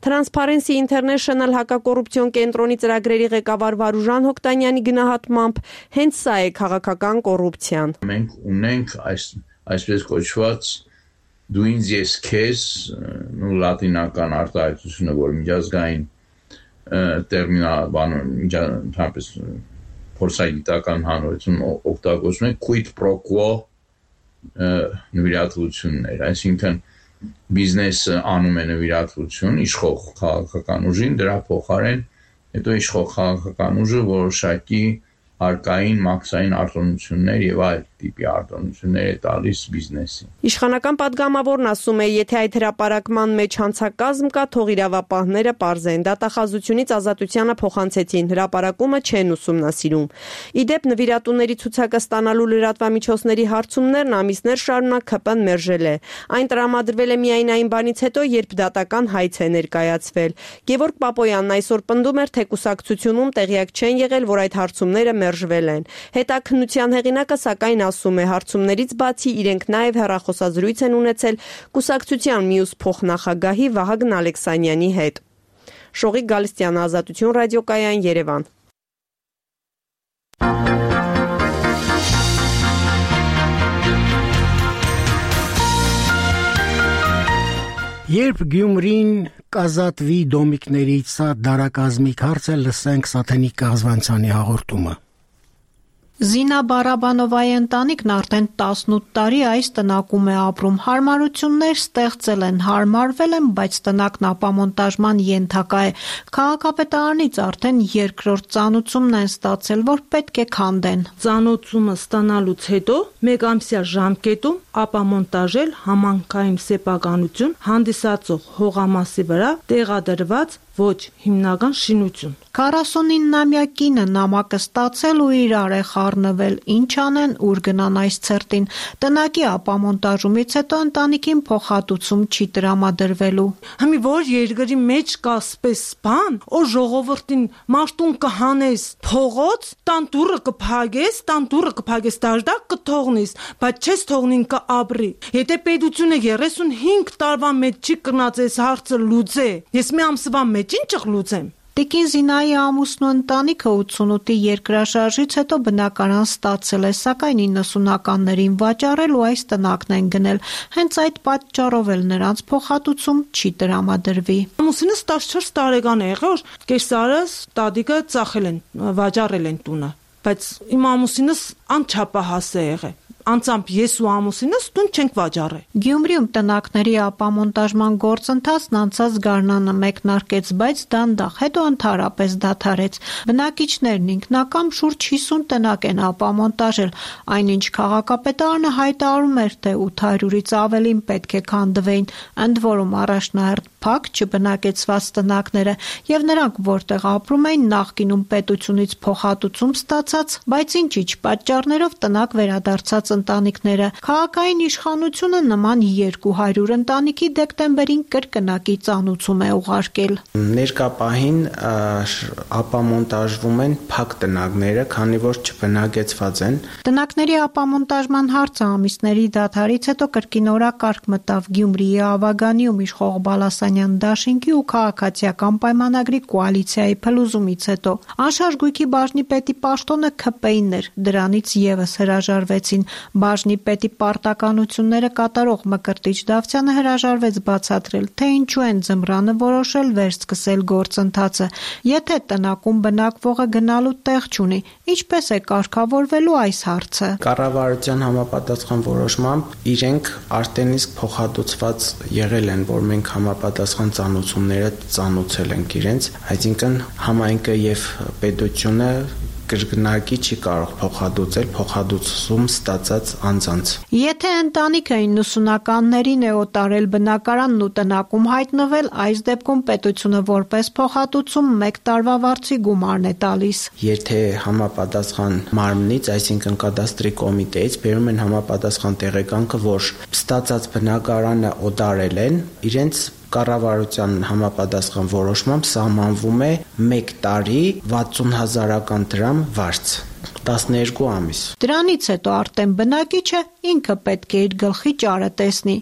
Transparency International հակակոռուպցիոն կենտրոնի ծրագրերի ղեկավար Վարուժան Հոկտանյանի գնահատմամբ հենց սա է քաղաքական կոռուպցիան։ Մենք ունենք այս այսպես կոչված դու ինձ ես քեզ ու լատինական արտահայտությունը, որ միջազգային տերմինալ բանոն միջանցապես փորձագիտական հանրություն օգտագործում են quid pro quo նվիրատվություններ, այսինքն բիզնեսը անում է նվիրատվություն իշխող քաղաքական ուժին, դրա փոխարեն հետո իշխող քաղաքական ուժը որոշակի արկային մաքսային արտոնություններ եւ այլ տիպի արտոնություններ է տալիս բիզնեսին։ Իշխանական պատգամավորն ասում է, եթե այդ հրապարակման մեջ հանցակազմ կա, թող իրավապահները պարզեն, դատախազությունից ազատությանը փոխանցեցին, հրապարակումը չեն ուսումնասիրում։ Իդեպ նվիրատուների ցուցակը ստանալու լրատվամիջոցների հարցումներն ամիսներ շարունակ ՔՊ-ն մերժել է։ Այն տրամադրվել է միայն այն բանից հետո, երբ դատական հայց է ներկայացվել։ Գևորգ Պապոյանն այսօր պնդում էր, թե կուսակցությունում տեղյակ չեն եղել, որ այդ հարցումները մերժվել են։ Հետաքննության հեղինակը սակայն ասում է, հարցումներից բացի իրենք նաև հեռախոսազրույց են ունեցել կուսակցության մյուս փոխնախագահի Վահագն Ալեքսանյանի հետ։ Շողիկ Գալստյան, Ազատություն ռադիոկայան, Երևան։ Երբ Գյումրին կազատվի դոմիկներից, սա դարակազմիկ հարց է, լսենք Սաթենիկ Կազվանցյանի հաղորդումը։ Զինա Բարաբանովայի ընտանիքն արդեն տասնութ տարի այս տնակում է ապրում։ Հարմարություններ ստեղծել են, հարմարվել են, բայց տնակն ապամոնտաժման ենթակա է։ Քաղաքապետարանից արդեն երկրորդ ծանուցումն են ստացել, որ պետք է քանդեն։ Ծանուցումը ստանալուց հետո մեկ ամսյա ժամկետում ապամոնտաժել համանքային սեփականություն հանդիսացող հողամասի վրա տեղադրված ոչ հիմնական շինություն։ քառասունիննամյա կինը նամակը ստացել ու իրար է խառնվել, ինչ անեն, ուր գնան այս ցերտին։ Տնակի ապամոնտաժումից հետո ընտանիքին փոխհատուցում չի տրամադրվելու։ Հիմի որ երկրի մեջ կա սպես բան, օ ժողովրդին մարտուն կհանես փողոց, տան դուրը կփագես, տան դուրը կփագես դաժդակ կթողնես, բայց չես թողնին կաբրի։ Եթե պետությունը երեսունհինգ տարվա մեջ չի կնած այս հարցը լուծե, ես մի ամսվա մեջ ինչ կլուծեմ։ Տիկին Զինայի ամուսնու ընտանիքը ութսունութի երկրաշարժից հետո բնակարան ստացել է, սակայն իննսունականներին վաճառել ու այս տնակն են գնել։ Հենց այդ պատճառով էլ նրանց փոխհատուցում չի տրամադրվի։ Ամուսինս տասնչորս տարեկան է եղել, կեսարս տատիկը ծախել են, վաճառել են տունը, բայց իմ ամուսինս անչափահաս է եղել։ Անցամբ ես ու ամուսինս տուն չենք վաճառել։ Գյումրիում տնակների ապամոնտաժման գործընթացն անցած գարնանը մեկնարկեց, բայց դանդաղ, հետո ընդհանրապես դադարեց։ Բնակիչներն ինքնակամ շուրջ հիսուն տնակ են ապամոնտաժել, այնինչ քաղաքապետարանը հայտարարում էր, թե ութ հարյուրից ավելին պետք է քանդվեին, ընդ որում առաջնահերթ փակ չբնակեցված տնակները եւ նրանք, որտեղ ապրում էին նախկինում պետությունից փոխհատուցում ստացած, բայց ինչ-ինչ պատճառներով տնակ վերադարձած ընտանիքները։ Քաղաքային իշխանությունը նման երկու հարյուր ընտանիքի դեկտեմբերին կրկնակի ծանուցում է ուղարկել։ Ներկա պահին ապամոնտաժվում են փակ տնակները, քանի որ չբնակեցված են։ Տնակների ապամոնտաժման հարցը ամիսների դադարից հետո կրկին օրակարգ մտավ Գյումրիի Ավագանիում իշխող Բալասանյան դաշինքի ու քաղաքացիական պայմանագրի կոալիցիայի փլուզումից հետո։ Անշարժ գույքի բաժնի պետի պաշտոնը ՔՊ-ին էր, դրանից եւս հրաժարվեցին։ Բաժնի պետի պարտականությունները կատարող Մկրտիչ Դավթյանը հրաժարվեց բացատրել, թե ինչու են ձմռանը որոշել վերսկսել գործընթացը։ Եթե տնակում բնակվողը գնալու տեղ չունի, ինչպես է կարգավորվելու այս հարցը։ Կառավարության համապատասխան որոշմամբ իրենք արդեն իսկ փոխհատուցված եղել են, որ մենք համապատասխան ծանուցումները ծանուցել ենք իրենց, այսինքն համայնքը եւ պետությունը կրկնակի չի կարող փոխհատուցել փոխհատուցում ստացած անձանց։ Եթե ընտանիքը իննսունականներին է օտարել բնակարանն ու տնակում հայտնվել, այս դեպքում պետությունը որպես փոխհատուցում մեկ տարվա վարձի գումարն է տալիս։ Եթե համապատասխան մարմնից, այսինքն կադաստրի կոմիտեից բերում են համապատասխան տեղեկանքը, որ ստացած բնակարանը օտարել են, իրենց կառավարության համապատասխան որոշմամբ սահմանվում է մեկ տարի վաթսուն հազարական դրամ վարձ, տասներկու ամիս։ Դրանից հետո արդեն բնակիչը ինքը պետք է իր գլխի ճարը տեսնի։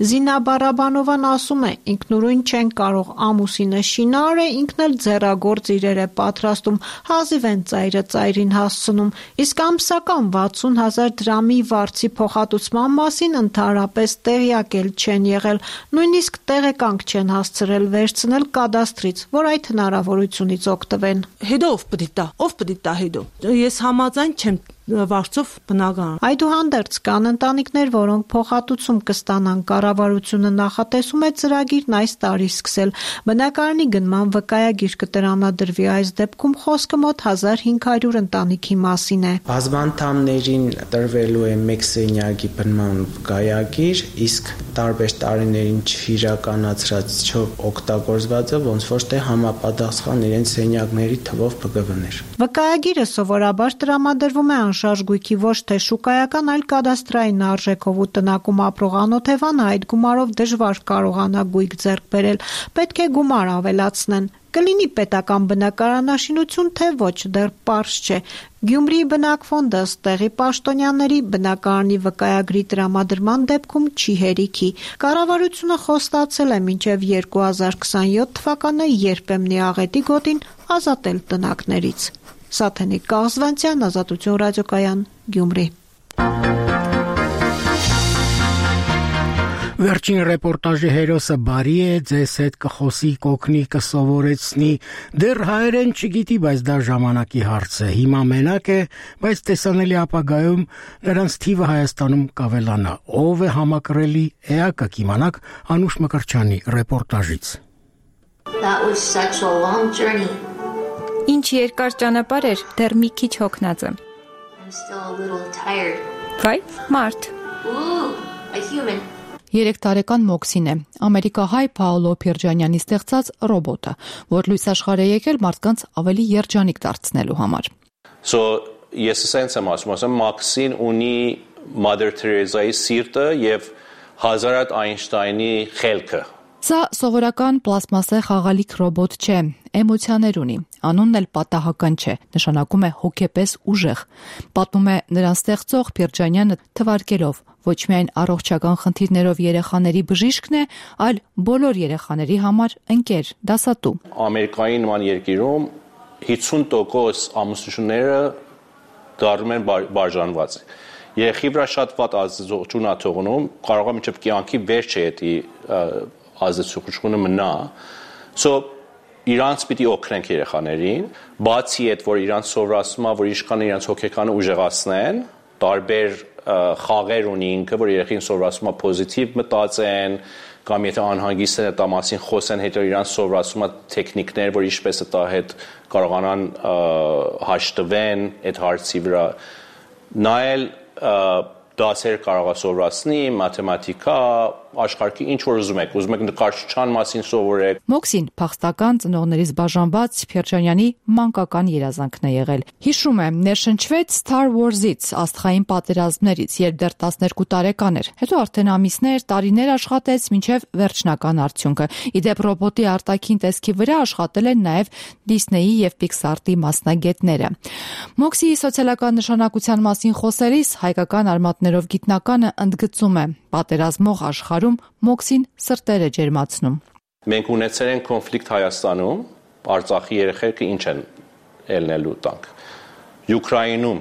Զինա Բարաբանովան ասում է, ինքնուրույն չեն կարող, ամուսինը շինար է, ինքն էլ ձեռագործ իրեր է պատրաստում, հազիվ են ծայրը ծայրին հասցնում, իսկ ամսական վաթսուն հազար դրամի վարձի փոխհատուցման մասին ընդհանրապես տեղյակ էլ չեն եղել, նույնիսկ տեղեկանք չեն հասցրել վերցնել կադաստրից, որ այդ հնարավորությունից օգտվեն։ Հետո ով պետք է տա, ով պետք է տա հետո։ Ես համաձայն չեմ վարձով բնական։ Այդուհանդերձ կան ընտանիքներ, որոնք փոխհատուցում կստանան, կառավարությունը նախատեսում է ծրագիրն այս տարի սկսել։ Բնակարանի գնման վկայագիր կտրամադրվի, այս դեպքում խոսքը մոտ հազար հինգ հարյուր ընտանիքի մասին է։ Բազմանդամներին տրվելու է մեկ սենյակի բնման վկայագիր, իսկ տարբեր տարիներին չիրականացրած չօգտագործվածը ոնց որ թե համապատասխան իրենց սենյակների թվով բգվներ։ Վկայագիրը սովորաբար տրամադրվում է անշարժ գույքի ոչ թե շուկայական, այլ կադաստրային արժեքով ու տնակում ապրող անօթևանը այդ գումարով դժվար կարողանա գույք ձեռք բերել, պետք է գումար ավելացնեն։ Կլինի պետական բնակարանաշինություն, թե ոչ, դեռ պարզ չէ։ Գյումրիի բնակֆոնդը ըստ տեղի պաշտոնյաների բնակարանի վկայագրի տրամադրման դեպքում չի հերիքի։ Կառավարությունը խոստացել է մինչև երկու հազար քսաներորդ թվականը երբեմնի աղետի գոտին ազատել տնակներից։ Սաթենիկ Կաղզվանցյան, Ազատություն ռադիոկայան, Գյումրի։ Վերջին ռեպորտաժի հերոսը բարի է, ձեզ հետ կխոսի, կօգնի, կսովորեցնի, դեռ հայերեն չգիտի, բայց դա ժամանակի հարց է, հիմա մենակ է, բայց տեսանելի ապագայում նրանց թիվը Հայաստանում կավելանա, ով է համակրելի էակը կիմանաք Անուշ Մկրչյանի ռեպորտաժից։ That was such a long journey. Ինչ երկար ճանապարհ էր, դեռ մի քիչ հոգնած եմ։ I'm still a little tired. Վայ, մարդ։ Ooh, a human. Երեք տարեկան Մոքսին է, ամերիկահայ Պաոլո Փիրջանյանի ստեղծած ռոբոտը, որ լույս աշխարհ է եկել մարդկանց ավելի երջանիկ դարձնելու համար։ So ես sense եմ ասում, ասեմ Մոքսին ունի Mother Teresa-ի սիրտը եւ Հազարատ Այնշտայնի խելքը։ Սա սովորական պլաստմասե խաղալիք ռոբոտ չէ, էմոցիաներ ունի, անունն էլ պատահական չէ, նշանակում է հոգեպես ուժեղ։ Պատմում է նրան ստեղծող Փիրջանյանը թվարկելով, ոչ միայն առողջական խնդիրներով երեխաների բժիշկն է, այլ բոլոր երեխաների համար ընկեր, դասատու։ Ամերիկայի նման երկիրում հիսուն տոկոս ամուսնությունները դառնում են բաժանված։ Երեխի վրա շատ վատ ազդեցություն է թողնում, կարող է մինչև կյանքի վերջը էդի ազդեցությունը մնա։ So իրանց պիտի օգնենք երեխաներին, բացի այդ որ իրանց սովորացնում է, որ ինչքան իրանց հոգեկանը ուժեղացնեն, տարբեր խաղեր ունի ինքը, որ երեխին սովորացում է պոզիտիվ մտածեն, կամ եթե անհանգիստ են դա մասին խոսեն, հետո իրանց սովորացում է տեխնիկներ, որ ինչպես դա հետ կարողանան հաշտվեն այդ հարցի վրա։ Նայել դասեր կարող է սովորացնի, մաթեմատիկա, աշխարհի ինչ որ ուզում եք, ուզում եք նկարչության մասին սովորեք։ Մոքսին փախստական ծնողներից բաժանված Փիրջանյանի մանկական երազանքն է եղել։ Հիշում է, ներշնչվեց Star Wars-ից, աստղային պատերազմներից, երբ դեռ տասներկու տարեկան էր։ Հետո արդեն ամիսներ, տարիներ աշխատեց մինչև վերջնական արդյունքը։ Իդեպ ռոբոտի արտաքին տեսքի վրա աշխատել են նաև Disney-ի եւ Pixar-ի մասնագետները։ Մոքսիի սոցիալական նշանակության մասին խոսելիս հայկական արմատներով գիտնականը ընդգծում է. պատերազմող աշխարհում Մոքսին սրտերը ջերմացնում։ Մենք ունեցել ենք կոնֆլիկտ Հայաստանում, Արցախի երեխեքը ինչ են ելնելու տանք։ Ուկրաինում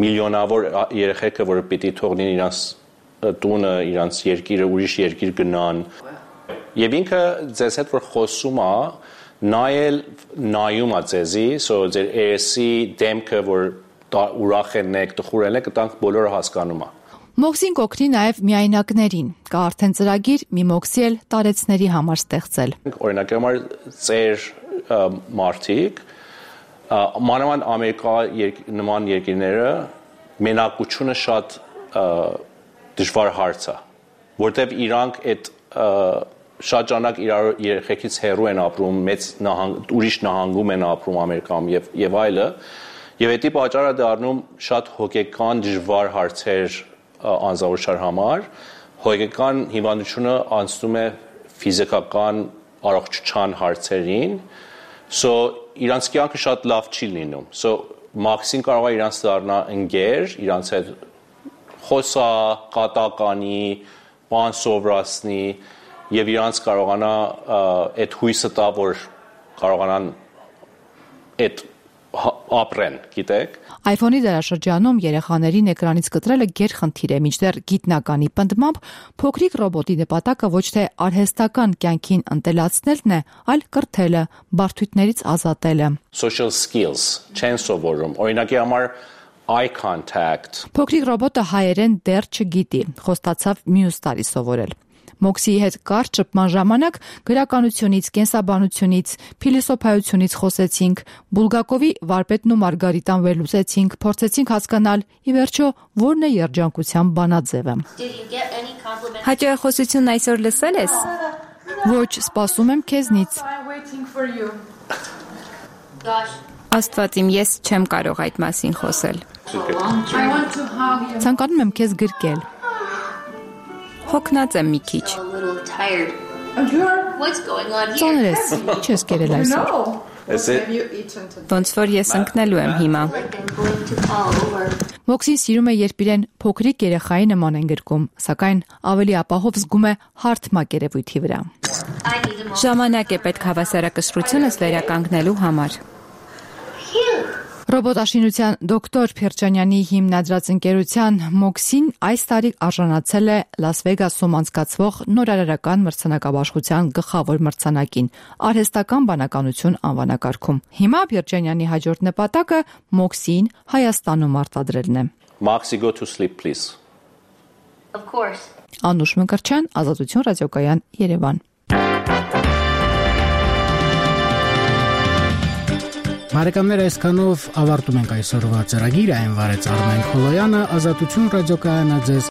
միլիոնավոր երեխեքը, որ պիտի թողնեն իրանց տունը, իրանց երկիրը, ուրիշ երկիր գնան։ Եվ ինքը ձեզ հետ որ խոսում է, նայել նայում է ձեզի, so ձեր երեսի դեմքը, որ ուրախ եք, տխուր եք, տանք բոլորը հասկանում է։ Մոքսին կօգնի նաև միայնակներին։ Կա արդեն ծրագիր մի Մոքսի էլ տարեցների համար ստեղծել։ Օրինակ համար ծեր մարդիկ մանավանդ Ամերիկա նման երկրները մենակությունը շատ դժվար հարց է, որտեղ իրանք այդ շատ ժամանակ իրար երեխեքից հեռու են ապրում, մեծ նահանգ ուրիշ նահանգում են ապրում Ամերիկայում եւ եւ այլը, եւ դա պատճառը դառնում շատ հոգեկան դժվար հարցեր անձնավորության համար, հոգեկան հիվանդությունը անցնում է ֆիզիկական առողջության հարցերին, so իրանց կյանքը շատ լավ չի լինում, so մաքսին կարող է իրանց դառնա ընկեր, իրանց հետ խոսա, կատականի, բան սովորացնի եւ իրանց կարողանա այդ հույսը տա, որ կարողանան այդ ապրեն, գիտեք։ iPhone-ի դարաշրջանում երեխաներին էկրանից կտրելը գերխնդիր է, մինչդեռ գիտնականի պնդմամբ փոքրիկ ռոբոտի նպատակը ոչ թե արհեստական կյանքին ընտելացնելն է, այլ կրթելը, բարդություններից ազատելը։ Social skills չեն սովորում։ Օրինակի համար eye contact։ Փոքրիկ ռոբոտը հայերեն դեռ չգիտի, խոստացավ մյուս տարի սովորել։ Մոքսիի հետ կարճ շփման ժամանակ գրականությունից, կենսաբանությունից, փիլիսոփայությունից խոսեցինք, Բուլգակովի վարպետն ու Մարգարիտան վերլուծեցինք, փորձեցինք հասկանալ, ի վերջո, որն է երջանկության բանաձևը։ Հաճախոսությունն այսօր լսել ես։ Ոչ, սպասում եմ քեզնից։ Աստված իմ, ես չեմ կարող այդ մասին խոսել։ Ցանկանում եմ քեզ գրկել։ Հոգնած եմ մի քիչ։ Ծանր ես, չես կերել այսօր։ Ոնց որ ես ընկնելու եմ հիմա։ Մոքսին սիրում է, երբ իրեն փոքրիկ երեխայի նման են գրկում, սակայն ավելի ապահով զգում է հարթ մակերևույթի վրա։ Ժամանակ է պետք հավասարակշռությունս վերականգնելու համար։ Ռոբոտաշինության դոկտոր Փիրջանյանի հիմնադրած ընկերության Մոքսին այս տարի արժանացել է Լաս Վեգասում անցկացվող նորարարական մրցանակաբաշխության գլխավոր մրցանակին արհեստական բանականություն անվանակարգում։ Հիմա Փիրջանյանի հաջորդ նպատակը Մոքսին Հայաստանում արտադրելն է։ Maxi, go to sleep please. Of course. Անուշ Մկրտչյան, Ազատություն ռադիոկայան, Երևան։ Բարեկամներ, այսքանով ավարտում ենք այսօրվա ծրագիրը, այն վարեց Արմեն Խոլոյանը, Ազատություն ռադիոկայանը ձեզ